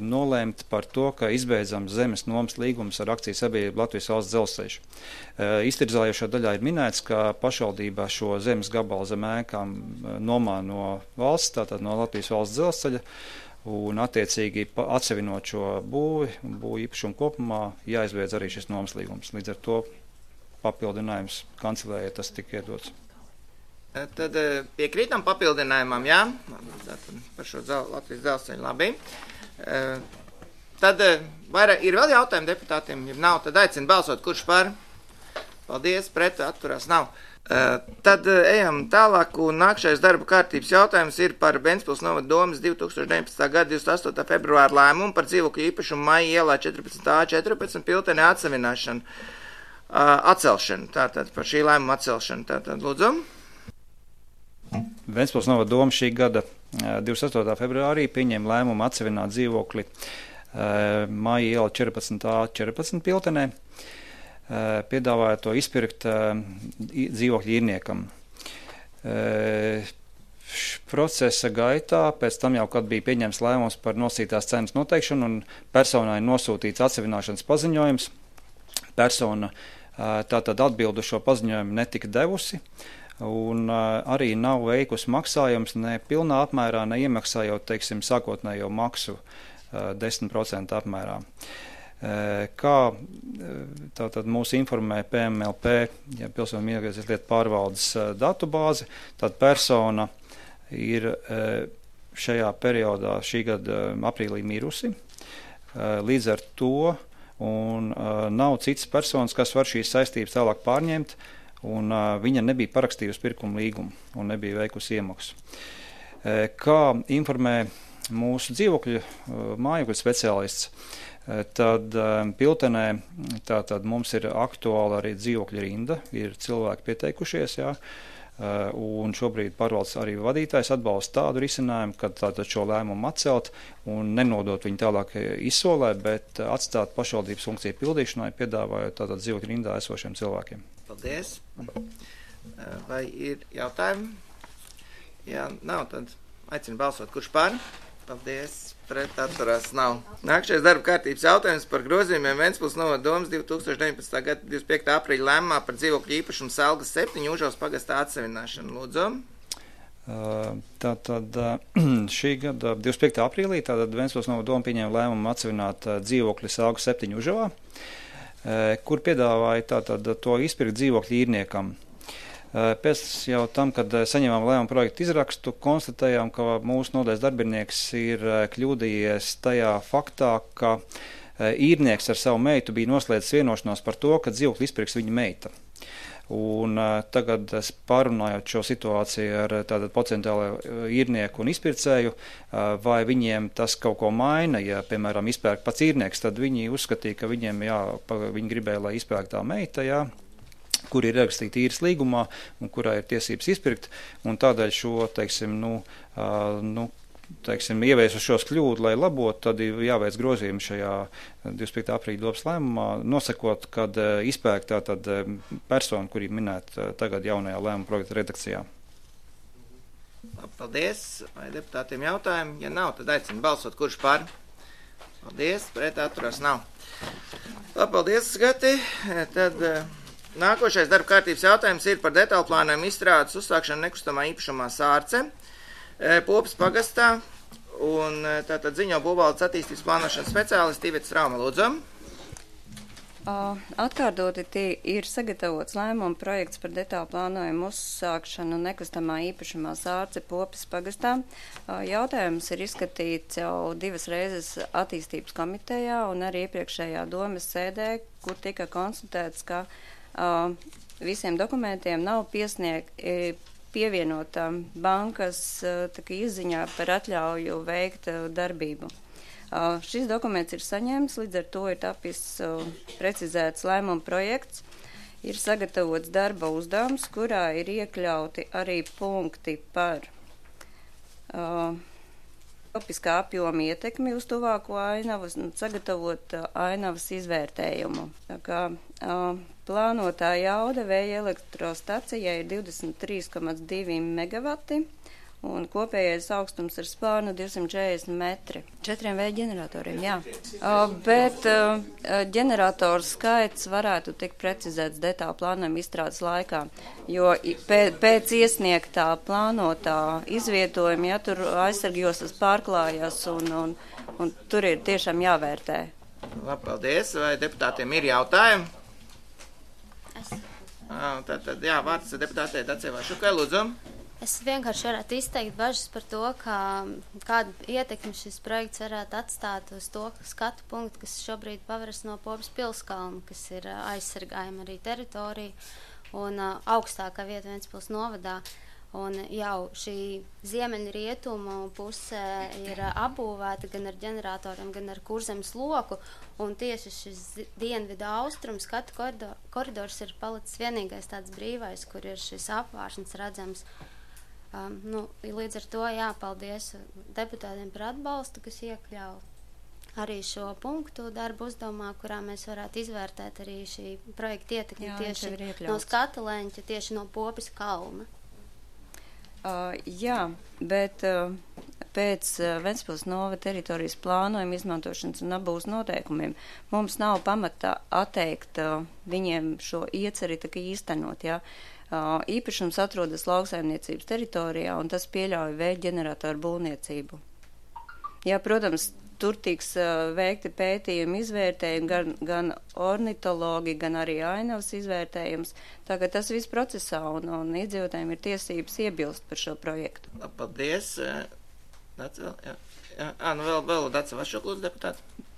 nolēmt par to, ka izbeidzam zemes nomas līgumus ar akciju sabiedrību Latvijas valsts dzelzceļš. Iztirzājošā daļā ir minēts, ka pašvaldībā šo zemes gabalu zem ēkām nomā no valsts, tātad no Latvijas valsts dzelzceļa, un attiecīgi atsevinot šo būvju īpašumu kopumā jāizbeidz arī šis nomas līgums. Līdz ar to papildinājums kancelējai tas tika iedots. Tad piekrītam papildinājumam, jā, par šo Latvijas dzelzceļu, labi. Tad ir vēl jautājumi deputātiem, ja nav, tad aicinu balsot, kurš par. Paldies, pret, atturās nav. Tad ejam tālāk, un nākšais darba kārtības jautājums ir par Ventspils novada domes 2019. gada 28. februāra lēmumu par dzīvokļu īpašumu Maija ielā 14A14 piltenē atsevināšanu, atcelšanu, tātad par šī lēmuma atcelšanu, tātad lūdzu. Ventspils novada doma šī gada 28. februārī pieņēma lēmumu atsevināt dzīvokli Maija iela 14A14 piltenē, piedāvāja to izpirkt dzīvokļu īrniekam. Procesa gaitā, pēc tam jau, kad bija pieņemts lēmums par nosacītās cenas noteikšanu un personai nosūtīts atsevināšanas paziņojums, persona tātad atbildu šo paziņojumu netika devusi, un arī nav veikusi maksājums ne pilnā apmērā, ne iemaksājot, teiksim, sākotnējo maksu 10% apmērā. Kā tātad mūs informē PMLP, ja Pilsoņu migrācijas lietu pārvaldes datubāze, tad persona ir šajā periodā šī gada aprīlī mirusi. Līdz ar to un nav citas personas, kas var šīs saistības tālāk pārņemt, un viņa nebija parakstījusi pirkuma līgumu un nebija veikusi iemaksu. Kā informē mūsu dzīvokļu mājokļu speciālists, tad piltenē tātad mums ir aktuāla arī dzīvokļa rinda, ir cilvēki pieteikušies, jā, un šobrīd pārvaldes arī vadītājs atbalsta tādu risinājumu, kad tātad šo lēmumu atcelt un nenodot viņu tālāk izsolē, bet atstāt pašvaldības funkciju pildīšanai, piedāvājot tātad dzīvokļa rindā esošiem cilvēkiem. Paldies. Vai ir jautājumi? Ja nav, tad aicinu balsot, kurš par. Paldies, pret, atturās nav. Nākšais darba kārtības jautājums par grozījumiem Ventspils novada domes 2019. gada 25. aprīļa lēmumā par dzīvokļu īpašumu Selgas 7 Užavas pagastā atsevināšanu. Lūdzu. Tātad šī gada 25. aprīlī tātad Ventspils novada doma pieņēma lēmumu atsevināt dzīvokļu Selgas 7 Užavā, kur piedāvāja tātad to izpirkt dzīvokļu īrniekam. Pēc jau tam, kad saņēmām lēmumu projektu izrakstu, konstatējām, ka mūsu nodaļas darbinieks ir kļūdījies tajā faktā, ka īrnieks ar savu meitu bija noslēdzis vienošanos par to, ka dzīvokli izpirks viņa meita. Un tagad pārunājot šo situāciju ar tātad potenciālo īrnieku un izpircēju, vai viņiem tas kaut ko maina, ja, piemēram, izpērk pats īrnieks, tad viņi uzskatīja, ka viņiem, viņi gribēja, lai izpērk tā meita, jā, kur ir ierakstīta īres līgumā un kurā ir tiesības izpirkt, un tādēļ šo, teiksim, ievies uz šos kļūdu, lai labot, tad ir jāveic grozījumi šajā 25. aprīļa domes lēmumā, nosakot, kad izpērk tātad persona, kuri minēta tagad jaunajā lēmuma projekta redakcijā. Paldies. Vai deputātiem jautājumi? Ja nav, tad aicinu balsot, kurš par. Paldies, pret, atturās nav. Paldies, Gati. Tad nākošais darba kārtības jautājums ir par detālu plānojumu izstrādes uzsākšanu nekustamā īpašumā Sārce, Popas pagastā, Un tātad ziņo būvvaldes attīstības plānošanas speciālisti Iveta Strauma, lūdzu. Atkārtoti ir sagatavots lēmuma projekts par detālu plānojumu uzsākšanu nekustamā īpašumā Sārce Popes pagastā. Jautājums ir izskatīts jau 2 reizes attīstības komitejā un arī iepriekšējā domes sēdē, kur tika konstatēts, ka visiem dokumentiem nav pievienota bankas izziņā par atļauju veikt darbību. Šis dokuments ir saņemts, līdz ar to ir tapis precizēts lēmuma projekts, ir sagatavots darba uzdevums, kurā ir iekļauti arī punkti par topiskā apjoma ietekmi uz tuvāko ainavu, sagatavot ainavas izvērtējumu. Tā kā plānotā jauda vēja elektrostacijai ir 23,2 megavati. Un kopējais augstums ar spārnu 240 metri. 4 vēja ģeneratoriem, jā. Bet ģeneratoru skaits varētu tikt precizēts detālu plānojuma izstrādes laikā, jo pēc iesniegtā plānotā izvietojuma, ja tur aizsargjoslas pārklājas un tur ir tiešām jāvērtē. Labi, paldies. Vai deputātiem ir jautājumi? Tātad, jā, vārds deputātei Dacei Vašukai, lūdzu. Es vienkārši varētu izteikt bažas par to, kādu ietekmi šis projekts varētu atstāt uz to skatu punktu, kas šobrīd paveras no Popes pilskalna, kas ir aizsargājama arī teritorija un augstākā vieta Ventspils novadā. Un jau šī ziemeļrietumu puse ir apbūvēta gan ar ģeneratoriem, gan ar kurzemes loku, un tieši šis dienvidu austrumu skatu koridors ir palicis vienīgais tāds brīvais, kur ir šis apvāršņs redzams. Līdz ar to jāpaldies deputātiem par atbalstu, kas iekļauj arī šo punktu darbu uzdevumā, kurā mēs varētu izvērtēt arī šī projekta ietekmi tieši no skata leņķa, tieši no Popes kalna. Jā, bet pēc Ventspils novada teritorijas plānojuma izmantošanas un apbūves noteikumiem mums nav pamatā atteikt viņiem šo ieceri tā kā īstenot, jā. Īpašums atrodas lauksaimniecības teritorijā, un tas pieļauj vēja ģeneratoru būvniecību. Jā, protams, tur tiks veikti pētījumi, izvērtējumi, gan ornitologi, gan arī ainavas izvērtējums. Tagad tas viss procesā, un iedzīvotājiem ir tiesības iebilst par šo projektu. Paldies. Vēl Dace Vašuk, lūdzu, deputāti.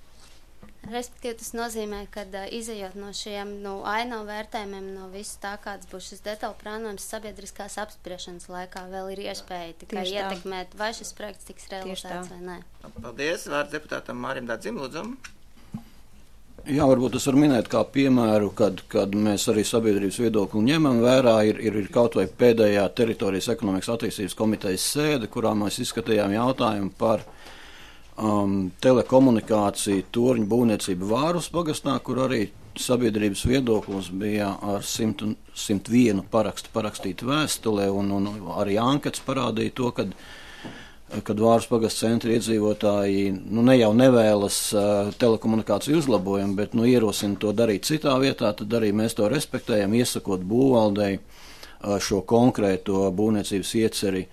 Respektīvi, tas nozīmē, ka izejot no šiem ainavu vērtējumiem, no visu tā, kāds būs šis detālu plānojums sabiedriskās apspriešanas laikā, vēl ir iespēja tikai ietekmēt, vai šis projekts tiks realizēts vai nē. Paldies. Vārds deputātam Mārim Dādzim, lūdzu. Jā, varbūt es varu minēt kā piemēru, kad mēs arī sabiedrības viedokli ņemam vērā, ir kaut vai pēdējā teritorijas ekonomikas attīstības komitejas sēde, kurā mēs izskatījām jautājumu par telekomunikāciju torņu būvniecību Vārus pagastā, kur arī sabiedrības viedoklis bija ar 101 parakstu parakstītu vēstulē, un arī ankets parādīja to, kad Vārus pagasta centra iedzīvotāji ne jau nevēlas telekomunikāciju uzlabojumu, bet ierosina to darīt citā vietā, tad arī mēs to respektējam, iesakot būvvaldei šo konkrēto būvniecības ieceri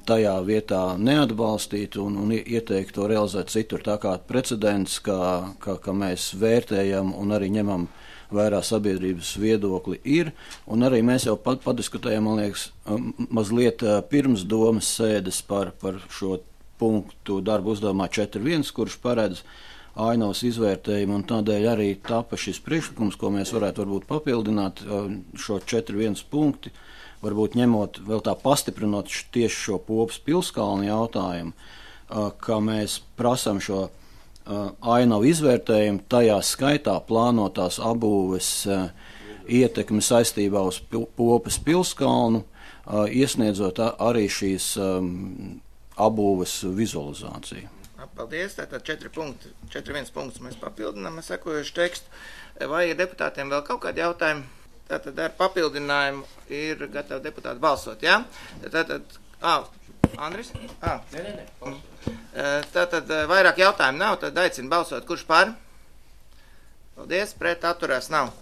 tajā vietā neatbalstīt un ieteikt to realizēt citur. Tā kā precedents, ka mēs vērtējam un arī ņemam vērā sabiedrības viedokli ir, un arī mēs jau padiskutējam, man liekas, mazliet pirms domas sēdes par šo punktu darbu uzdevumā 4.1, kurš paredz ainavas izvērtējumu, un tādēļ arī tapa šis priekšlikums, ko mēs varētu varbūt papildināt šo 4.1 punkti, varbūt ņemot vēl tā pastiprinot tieši šo Popes pilskalnu jautājumu, ka mēs prasam šo ainavu izvērtējumu, tajā skaitā plānotās apbūves ietekmi saistībā uz Popes pilskalnu, iesniedzot arī šīs apbūves vizualizāciju. Paldies, tātad 4.1 punkts mēs papildinām sekojuši tekstu. Vai ir deputātiem vēl kaut kādi jautājumi? Tātad ar papildinājumu ir gatavi deputāti balsot, jā? Tātad, Andris? Nē. Tātad vairāk jautājumu nav, tad aicinu balsot. Kurš par? Paldies, pret atturās nav.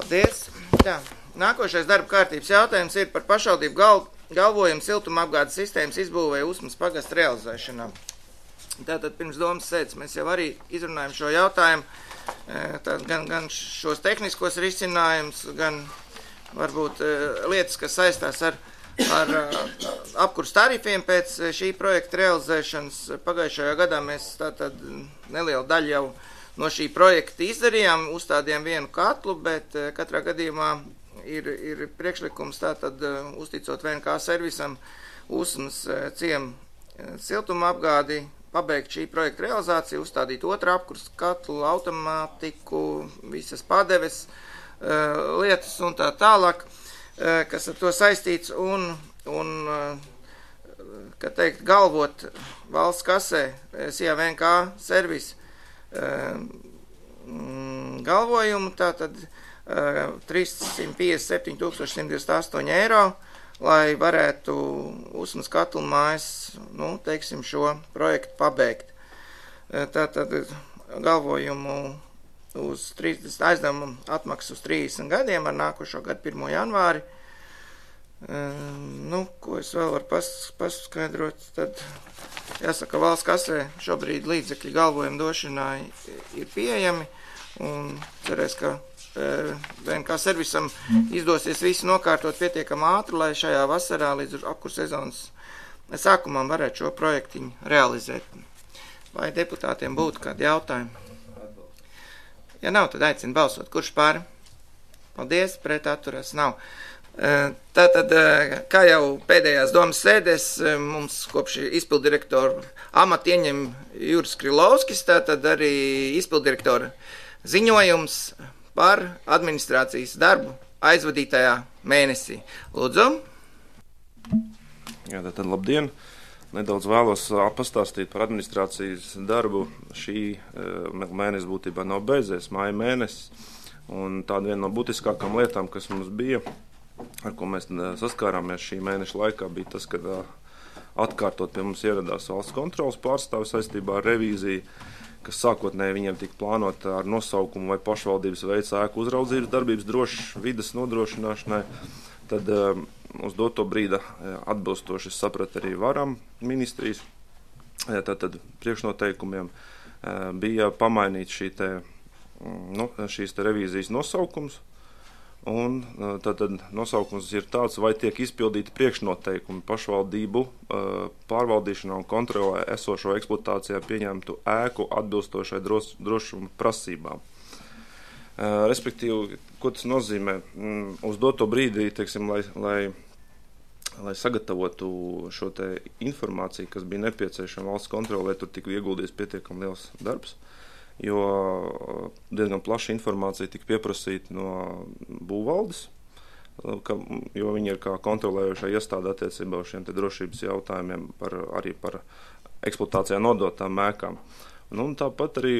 Paldies. Jā. Nākošais darba kārtības jautājums ir par pašvaldību galvojumu siltumapgādes sistēmas izbūvē Usmas pagasta realizēšanā. Tātad pirms domas sēdes mēs jau arī izrunājam šo jautājumu, gan šos tehniskos risinājumus, gan varbūt lietas, kas saistās ar apkurs tarifiem pēc šī projekta realizēšanas. Pagājušajā gadā mēs tātad nelielu daļu jau no šī projekta izdarījām, uzstādījām vienu katlu, bet katrā gadījumā ir priekšlikums tātad uzticot VNK servisam Usmas ciemu siltuma apgādi, pabeigt šī projekta realizāciju, uzstādīt otru apkurs katlu, automātiku, visas padeves lietas un tā tālāk, kas ar to saistīts un kā teikt, galvot valsts kasē SIA VNK servis galvojumu, tātad 357 128 eiro, lai varētu Usmas katlu mājas, teiksim, šo projektu pabeigt. Tātad galvojumu uz 30 aizdevumu atmaksu uz 30 gadiem ar nākošo gadu 1. janvāri. Ko es vēl varu paskaidrot, tad jāsaka, valsts kasē šobrīd līdzekļi galvojumu došanai ir pieejami un cerēs, ka VNK servisam izdosies visu nokārtot pietiekami ātri, lai šajā vasarā līdz apkurs sezonas sākumam varētu šo projektiņu realizēt. Vai deputātiem būtu kādi jautājumi? Ja nav, tad aicinu balsot. Kurš pār? Paldies, pret atturās nav. Tātad, kā jau pēdējās domas sēdēs, mums kopš izpildirektora amata ieņem Juris Krilovskis, tātad arī izpildirektora ziņojums par administrācijas darbu aizvadītajā mēnesī. Lūdzu. Jā, tātad labdien. Nedaudz vēlos pastāstīt par administrācijas darbu. Šī mēnesis būtībā nav beidzies, māja mēnesis. Un tāda viena no būtiskākām lietām, kas mums bija, ar ko mēs saskārāmies šī mēneša laikā, bija tas, ka atkārtot pie mums ieradās valsts kontrolas pārstāvis saistībā ar revīziju, kas sākotnēji viņiem tika plānota ar nosaukumu vai pašvaldības veids ēku uzraudzības darbības drošas vides nodrošināšanai. Tad uz doto brīdi atbilstoši saprat arī varam ministrijas, tātad priekšnoteikumiem bija pamainīt šīs revīzijas nosaukums, un tātad nosaukums ir tāds, vai tiek izpildīti priekšnoteikumi pašvaldību pārvaldīšanā un kontrolē esošo eksploatācijā pieņemtu ēku atbilstošai drošuma prasībām. Respektīvi, ko tas nozīmē? Uz doto brīdī, teiksim, lai sagatavotu šo te informāciju, kas bija nepieciešama valsts kontrolē, tur tika ieguldīts pietiekami liels darbs, jo diezgan plaša informācija tika pieprasīta no būvvaldes, jo viņi ir kā kontrolējošā iestāde attiecībā uz šiem te drošības jautājumiem arī par eksploatācijā nodotām ēkām. Un tāpat arī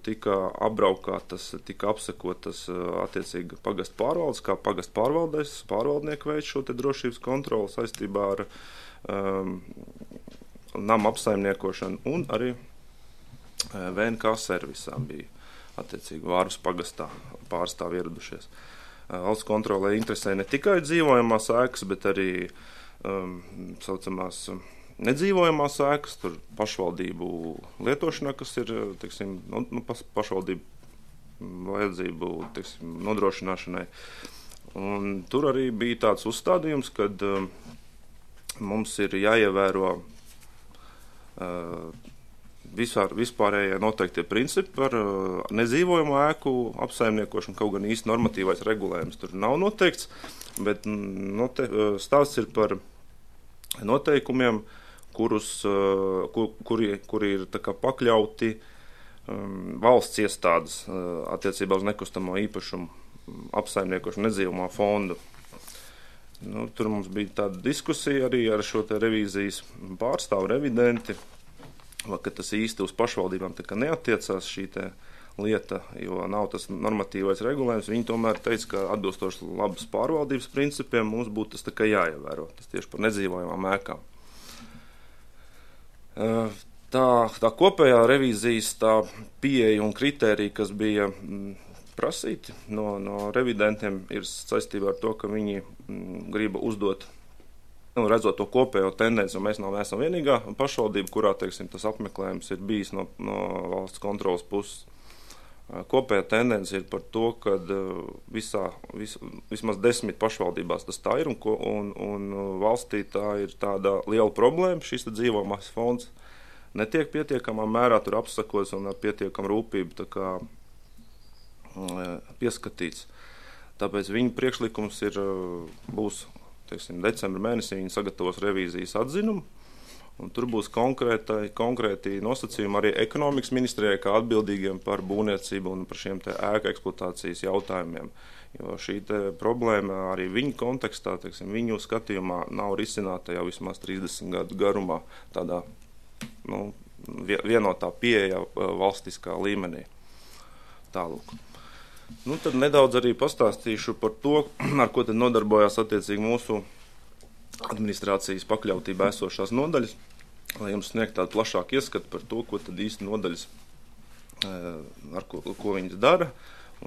tika apbraukātas, tika apsekotas attiecīgi pagasta pārvaldes, kā pagasta pārvaldnieku veids šo te drošības kontroli saistībā ar nama apsaimniekošanu, un arī VNK servisā bija attiecīgi Vārus pagastā pārstāvi ieradušies. Valsts kontrolē interesē ne tikai dzīvojamās ēkas, bet arī saucamās nedzīvojamās ēkas, tur pašvaldību lietošanā, kas ir, teiksim, pašvaldību vajadzību, teiksim, nodrošināšanai. Un tur arī bija tāds uzstādījums, kad mums ir jāievēro vispārējie noteiktie principi par nedzīvojamu ēku apsaimniekošanu, kaut gan īsti normatīvais regulējums tur nav noteikts, bet stāsts ir par noteikumiem, kuri ir tā kā pakļauti valsts iestādes attiecībā uz nekustamo īpašumu apsaimniekošanu nedzīvojamā fondu. Tur mums bija tāda diskusija arī ar šo te revīzijas pārstāvu revidenti, ka tas īsti uz pašvaldībām tā kā neatiecās šī te lieta, jo nav tas normatīvais regulējums. Viņi tomēr teica, ka atbilstoši labas pārvaldības principiem mums būtu tas tā kā jāievēro. Tas tieši par nedzīvojamām ēkām. Tā kopējā revīzijas tā pieeja un kritērija, kas bija prasīti no revidentiem, ir saistībā ar to, ka viņi grib uzdot redzot to kopējo tendenci, un mēs neesam vienīgā pašvaldība, kurā, teiksim, tas apmeklējums ir bijis no valsts kontrolas puses. Kopējā tendence ir par to, ka vismaz 10 pašvaldībās tas tā ir, un valstī tā ir tāda liela problēma. Šis dzīvojamais fonds netiek pietiekamā mērā tur apsakots un ar pietiekamu rūpību tā kā pieskatīts. Tāpēc viņu priekšlikums būs, teiksim, decembra mēnesī viņi sagatavos revīzijas atzinumu, un tur būs konkrēti nosacījumi arī ekonomikas ministrijai kā atbildīgiem par būvniecību un par šiem te ēku eksploatācijas jautājumiem. Jo šī te problēma arī viņu kontekstā, teiksim, viņu skatījumā nav risināta jau vismaz 30 gadu garumā tādā vienotā pieeja valstiskā līmenī. Tālūk. Tad nedaudz arī pastāstīšu par to, ar ko tad nodarbojās attiecīgi mūsu administrācijas pakļautībā esošās nodaļas, lai jums sniegt tādu plašāku ieskatu par to, ko tad īsti nodaļas, ar ko viņas dara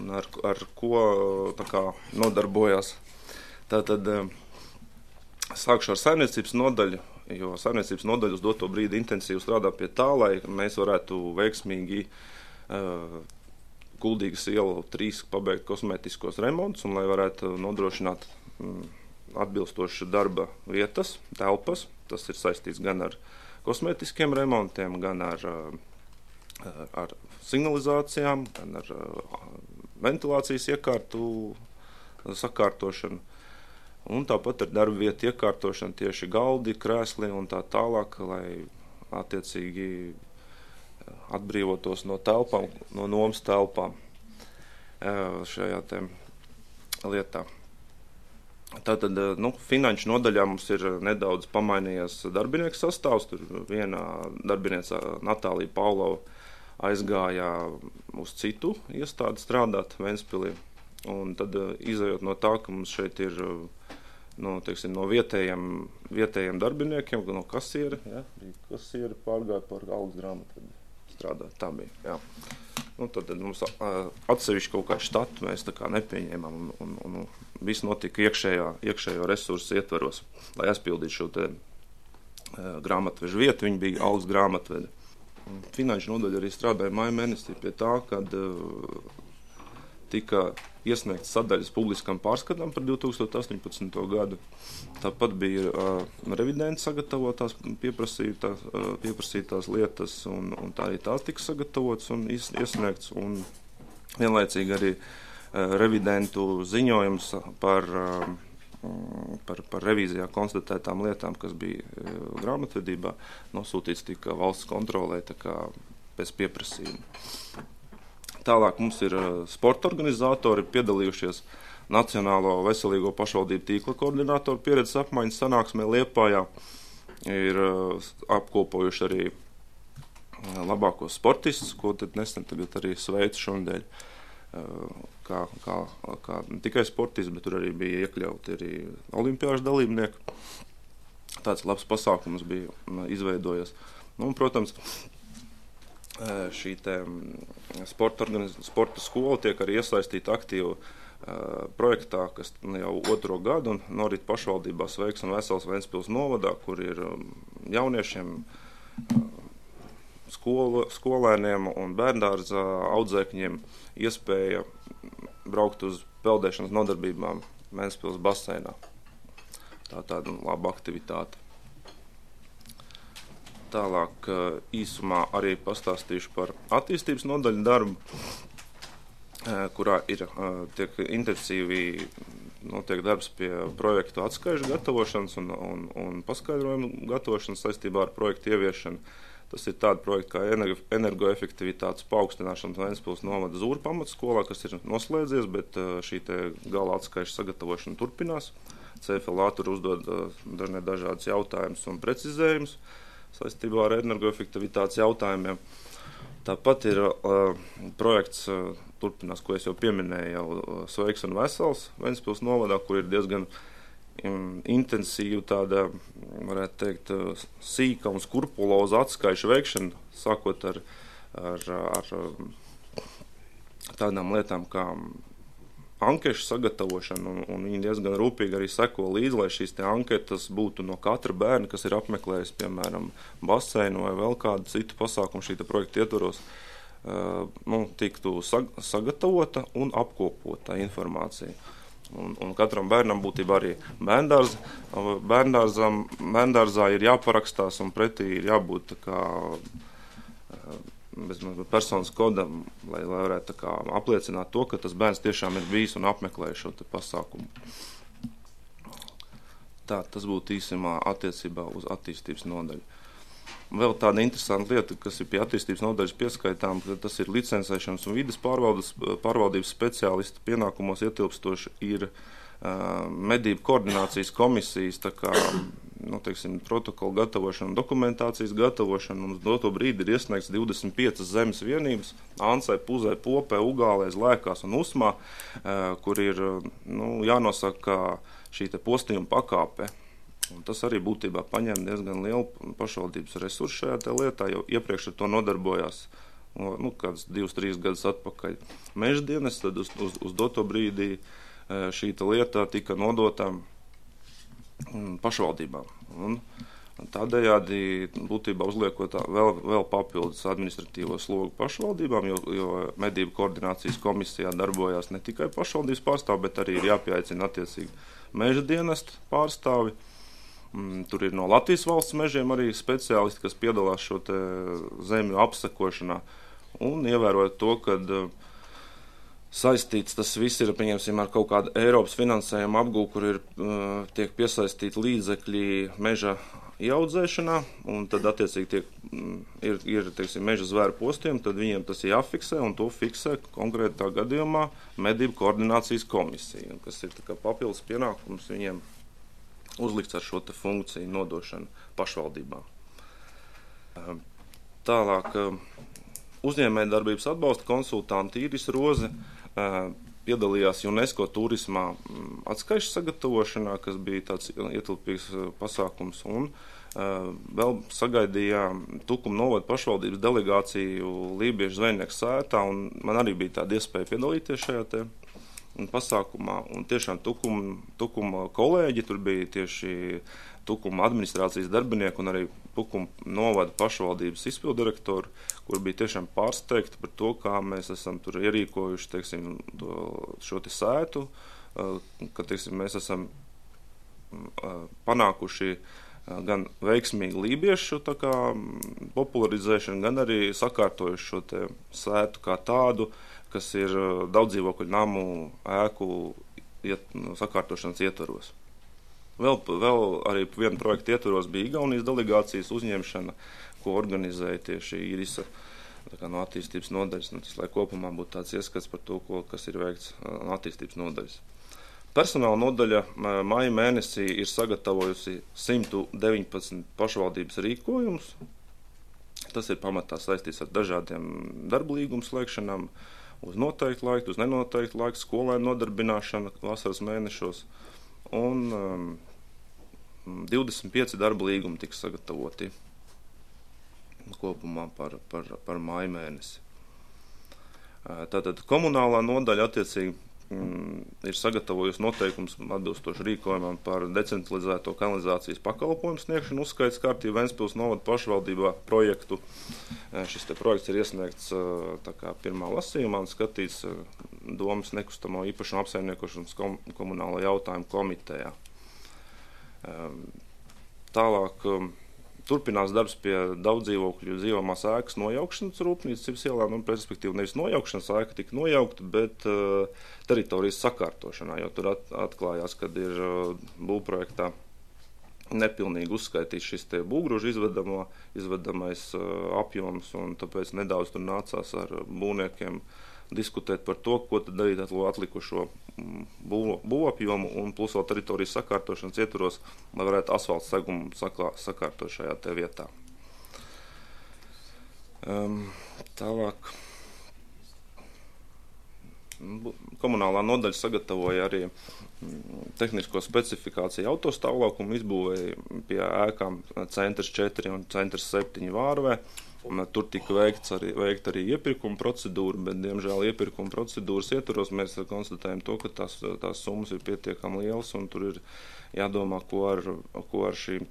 un ar ko tā kā nodarbojās. Tātad sākšu ar saimniecības nodaļu, jo saimniecības nodaļa uz doto brīdi intensīvi strādā pie tā, lai mēs varētu veiksmīgi Kuldīgas ielu 3 pabeigt kosmētiskos remontus un lai varētu nodrošināt atbilstoši darba vietas, telpas. Tas ir saistīts gan ar kosmētiskiem remontiem, gan ar signalizācijām, gan ar ventilācijas iekārtu sakārtošanu. Un tāpat ar darba vietu iekārtošanu tieši galdi, krēsli un tā tālāk, lai attiecīgi atbrīvotos no telpām, no nomas telpām šajā te lietā. Tātad, finanšu nodaļā mums ir nedaudz pamainījies darbinieku sastāvs. Tur viena darbinieca Natālija Paulova aizgāja uz citu iestādi strādāt Ventspilī. Un tad izējot no tā, ka mums šeit ir no vietējiem darbiniekiem, no kasiera, kasiera pārgāja par algas grāmatvedī strādāt. Tā bija, jā. Tad mums atsevišķi kaut kādu štatu mēs tā kā nepieņēmām un viss notika iekšējo resursu ietveros, lai aizpildītu šo te grāmatvežu vietu. Viņi bija algas grāmatvedi. Finanšu nodaļa arī strādāja maija mēnesī pie tā, kad tika iesniegts sadaļas publiskam pārskatam par 2018. gadu. Tāpat bija revidenti sagatavotās pieprasītās lietas, un tā arī tās tika sagatavotas un iesniegts, un vienlaicīgi arī revidentu ziņojums par revīzijā konstatētām lietām, kas bija grāmatvedībā, nosūtīts tika valsts kontrolē tā kā pēc pieprasījuma. Tālāk mums ir sporta organizatori piedalījušies Nacionālo veselīgo pašvaldību tīkla koordinātoru pieredzes apmaiņas sanāksmē Liepājā. Ir apkopojuši arī labākos sportistus, ko tad nesen tagad arī sveicu šonadēļ. Kā ne tikai sportisti, bet tur arī bija iekļauti arī olimpiāžu dalībnieki. Tāds labs pasākums bija izveidojies. Protams, šī sporta skola tiek arī iesaistīta aktīvi projektā, kas jau 2. gadu un norit pašvaldībā Sveiks un Vesels Ventspils novadā, kur ir jauniešiem, skolēniem un bērndārza audzēkņiem iespēja braukt uz peldēšanas nodarbībām Ventspils baseinā. Tā tāda laba aktivitāte. Tālāk īsumā arī pastāstīšu par attīstības nodaļu darbu, kurā tiek intensīvi notiek darbs pie projektu atskaižu gatavošanas un paskaidrojumu gatavošanas saistībā ar projektu ieviešanu. Tas ir tādi projekti kā energoefektivitātes paaugstināšana Ventspils novada Zūra pamatskolā, kas ir noslēdzies, bet šī te gala atskaižu sagatavošana turpinās. CFLA tur uzdod dažādas jautājumus un precizējumus saistībā ar energoefektivitātes jautājumiem. Tāpat ir projekts, turpinās, ko es jau pieminēju, jau Sveiks un Vesels Ventspils novadā, kur ir diezgan intensīva tāda, varētu teikt, sīka un skrupuloza atskaišu veikšana, sākot ar tādām lietām kā ankešu sagatavošana, un viņi diezgan rūpīgi arī seko līdzi, lai šīs te anketas būtu no katra bērna, kas ir apmeklējis, piemēram, baseinu vai vēl kādu citu pasākumu šī projekta ietvaros, tiktu sagatavota un apkopota informācija. Un katram bērnam būtībā arī bērndārzā ir jāparakstās un pretī ir jābūt tā kā bez personas kodam, lai varētu tā kā apliecināt to, ka tas bērns tiešām ir bijis un apmeklējis šo te pasākumu. Tā, tas būtu īsumā attiecībā uz attīstības nodaļu. Vēl tāda interesanta lieta, kas ir pie attīstības nodaļas pieskaitām, ka tas ir licencēšanas un vides pārvaldības speciālista pienākumos ietilpstoši ir medību koordinācijas komisijas, tā kā, protokolu gatavošana un dokumentācijas gatavošana, un uz doto brīdi ir iesniegts 25 zemes vienības, Ansai, Puzai, Popē, Ugālēs, Lēkās un Usmā, kur ir, jānosaka šī te postījuma pakāpe. Un tas arī būtībā paņem diezgan lielu pašvaldības resursu šajā te lietā, jo iepriekš ar to nodarbojās kāds 2-3 gadus atpakaļ meža dienas, tad uz doto brīdī šī te lieta tika nodota pašvaldībām. Un tādējādi būtībā uzliekot vēl papildus administratīvo slogu pašvaldībām, jo medību koordinācijas komisijā darbojās ne tikai pašvaldības pārstāvi, bet arī ir jāpieaicina attiecīgi meža dienestu pārstāvi. Tur ir no Latvijas valsts mežiem arī speciālisti, kas piedalās šo te zemju apsakošanā. Un ievērojot to, kad saistīts tas viss ir, pieņemsim, ar kaut kādu Eiropas finansējumu apgūvu, kur tiek piesaistīti līdzekļi meža ieaudzēšanā, un tad attiecīgi ir meža zvēru postiem, tad viņiem tas ir jāfiksē, un to fiksē konkrētā gadījumā medību koordinācijas komisija, kas ir tā kā papildus pienākums viņiem uzlikts ar šo te funkciju nodošanu pašvaldībām. Tālāk, uzņēmējdarbības atbalsta konsultanti Iris Roze piedalījās UNESCO turismā atskaišu sagatavošanā, kas bija tāds ietilpīgs pasākums, un vēl sagaidījām Tukuma novada pašvaldības delegāciju Lībiešu zvejnieku sētā, un man arī bija tāda iespēja piedalīties šajā te pasākumā, un tiešām Tukuma kolēģi, tur bija tieši Tukuma administrācijas darbinieki un arī Tukuma novada pašvaldības izpildirektori, kur bija tiešām pārsteigti par to, kā mēs esam tur ierīkojuši, šo te sētu, ka, mēs esam panākuši gan veiksmīgi lībiešu tā kā popularizēšanu, gan arī sakārtojuši šo te sētu kā tādu, kas ir daudz dzīvokļu namu ēku sakārtošanas ietvaros. Vēl arī viena projekta ietvaros bija Igaunijas delegācijas uzņemšana, ko organizēja tieši Irisa no attīstības nodaļas, lai kopumā būtu tāds ieskats par to, kas ir veikts no attīstības nodaļas. Personāla nodaļa maija mēnesī ir sagatavojusi 119 pašvaldības rīkojumus. Tas ir pamatā saistīts ar dažādiem darba līgumu slēgšanām, uz noteiktu laiku, uz nenoteiktu laiku, skolēnu nodarbināšana vasaras mēnešos, un 25 darba līgumi tiks sagatavoti kopumā par māju mēnesi. Tātad komunālā nodaļa attiecīgi ir sagatavojusi noteikums atbilstoši rīkojumam par decentralizēto kanalizācijas pakalpojumu sniegšanu uzskaits kārtību Ventspils novada pašvaldībā projektu. Šis te projekts ir iesniegts tā kā pirmā lasījumā un skatīts Domas nekustamo īpašumu apsaimniekošanas komunālo jautājumu komitejā. Tālāk turpinās darbs pie daudzdzīvokļu dzīvojamās ēkas nojaukšanas Rūpnīcas Cibas ielā, respektīvi nevis nojaukšanas ēka tika nojaukta, bet teritorijas sakārtošanā, jo tur atklājās, kad ir būvprojektā nepilnīgi uzskaitīts šis te būvgrūžu izvedamais apjoms, un tāpēc nedaudz tur nācās ar būvniekiem diskutēt par to, ko tad darīt ar atlikušo būvapjomu un plus vēl teritorijas sakārtošanas ietvaros, lai varētu asfalta segumu sakārtot šajā te vietā. Tālāk. Komunālā nodaļa sagatavoja arī tehnisko specifikāciju autostāvlaukumu, izbūvēja pie ēkām Centrs 4 un Centrs 7 Vārvē, Tur tika veikta arī iepirkuma procedūra, bet, diemžēl, iepirkuma procedūras ietvaros mēs konstatējam to, ka tās summas ir pietiekami lielas, un tur ir jādomā, ko ar šīm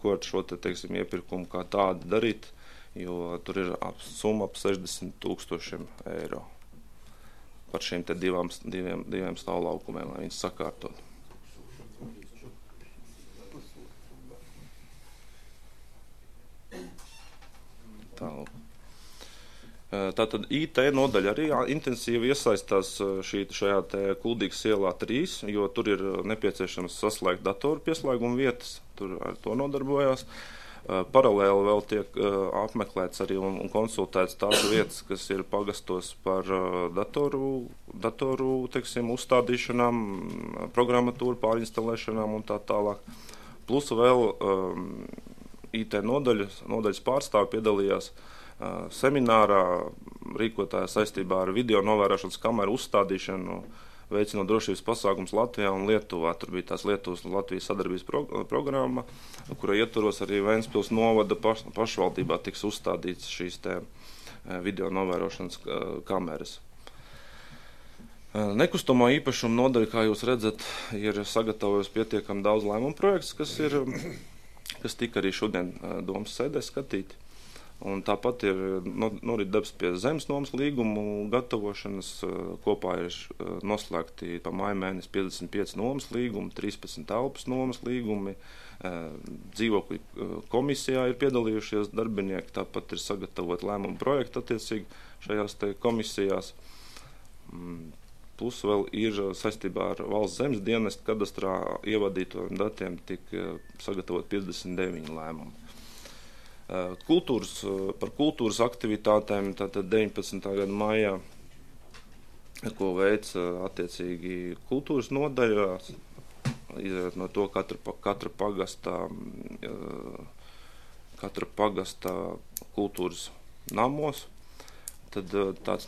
ko ar šo teiksim, iepirkumu kā tādu darīt, jo tur ir summa ap 60,000 eiro par šīm diviem stāvlaukumiem, lai viņas sakārtot. Tātad IT nodaļa arī intensīvi iesaistās šajā te Kuldīgas ielā 3, jo tur ir nepieciešams saslēgt datoru pieslēgumu vietas, tur ar to nodarbojās. Paralēli vēl tiek apmeklēts arī un konsultēts tās vietas, kas ir pagastos par datoru teiksim, uzstādīšanām, programmatūru pārinstalēšanām un tā tālāk. Plus vēl IT nodaļas pārstāvi piedalījās seminārā, rīkotājā saistībā ar video novērošanas kameru uzstādīšanu, veicinot drošības pasākums Latvijā un Lietuvā. Tur bija tās Lietuvas un Latvijas sadarbības programma, kura ietvaros arī Ventspils novada pašvaldībā tiks uzstādīts šīs te video novērošanas kameras. Nekustamā īpašuma nodaļa, kā jūs redzat, ir sagatavojusi pietiekami daudz lēmumu projekts, kas tika arī šodien domas sēdē skatīti. Un tāpat ir norit darbs pie zemes nomas līgumu gatavošanas. Kopā ir noslēgti pa māja mēnesi 55 nomas līgumi, 13 telpas nomas līgumi. Dzīvokļu komisijā ir piedalījušies darbinieki, tāpat ir sagatavot lēmumu projektu attiecīgi šajās te komisijās. Plus vēl ir saistībā ar valsts zemes dienestu kadastrā ievadīto datiem tika sagatavot 59 lēmumi. Par kultūras aktivitātēm tātad 19. gada maijā, ko veic attiecīgi kultūras nodaļā, izējot no to katra pagasta kultūras namos, tad tāds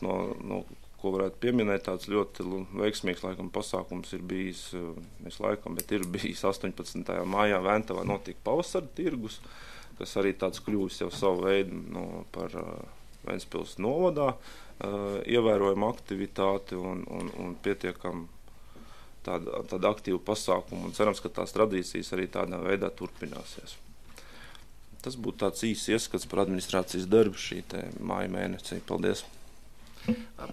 ko varētu pieminēt, tāds ļoti veiksmīgs laikam pasākums ir bijis, bet ir bijis 18. maijā Ventavā notika pavasara tirgus, kas arī tāds kļūs jau savu veidu par Ventspils novadā, ievērojama aktivitāti un pietiekam tāda aktīva pasākuma, un cerams, ka tās tradīcijas arī tādā veidā turpināsies. Tas būtu tāds īsts ieskats par administrācijas darbu šī te māja mēnesī. Paldies!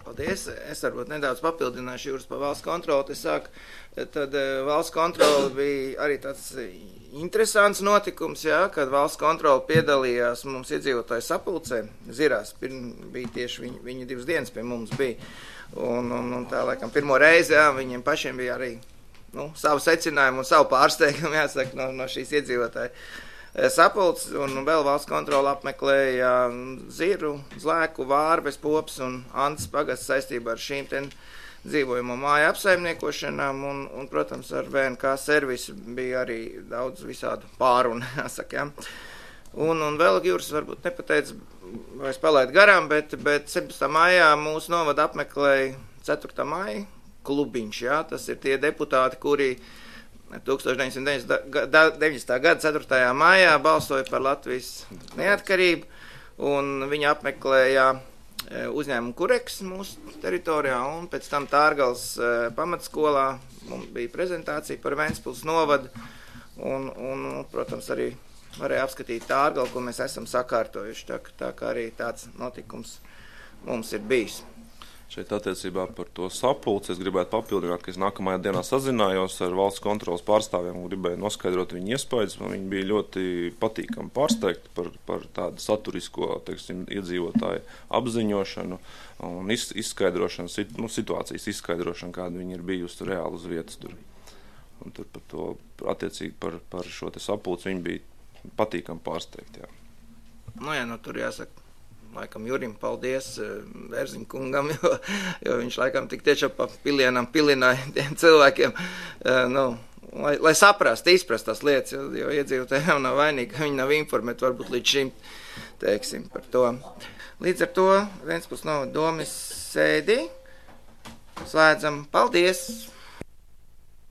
Paldies. Es varbūt nedaudz papildināšu Jūras par valsts kontroli. Tad valsts kontroli bija arī tāds interesants notikums, kad valsts kontroli piedalījās mums iedzīvotāju sapulcē. Zirās, bija tieši viņi 2 dienas pie mums bija. Un tā laikam pirmo reizi, viņiem pašiem bija arī savu secinājumu un savu pārsteigumu, jāsaka, no šīs iedzīvotāju sapulces, un vēl valsts kontrola apmeklēja Ziru, Zlēku, Vārbes, Pops un Antas pagasts saistībā ar šīm dzīvojamo māju apsaimniekošanām, un, protams, ar VNK servisu bija arī daudz visādu pārunu, jāsaka, Un vēl Jūras varbūt nepateica, vai es palaidu garām, bet 17. maijā mūsu novada apmeklēja 4. maija klubiņš, tas ir tie deputāti, kuri 1990. gada 4. maijā balsoja par Latvijas neatkarību, un viņi apmeklēja uzņēmumu Kureks mūsu teritorijā, un pēc tam Tārgals pamatskolā mums bija prezentācija par Ventspils novadu, un protams, arī varēja apskatīt Tārgalu, ko mēs esam sakārtojuši, tā kā arī tāds notikums mums ir bijis. Šeit attiecībā par to sapulci es gribētu papildināt, ka es nākamajā dienā sazinājos ar valsts kontrolas pārstāvjiem un gribēju noskaidrot viņu iespējas. Viņi bija ļoti patīkami pārsteigti par tādu saturisko, iedzīvotāju apziņošanu un izskaidrošanu, situācijas izskaidrošanu, kāda viņi ir bijusi reāli uz vietas tur. Un tur par to, attiecīgi par šo te sapulci, viņi bija patīkami pārsteigti, Tur jāsaka. Laikam Jurim paldies Bērziņa kungam, jo viņš laikam tik tiešām pa pilienam pilināja tiem cilvēkiem, lai izprast tās lietas, jo iedzīvotājiem nav vainīgi, ka viņi nav informēti varbūt līdz šim, par to. Līdz ar to Ventspils novada domes sēdi slēdzam. Paldies!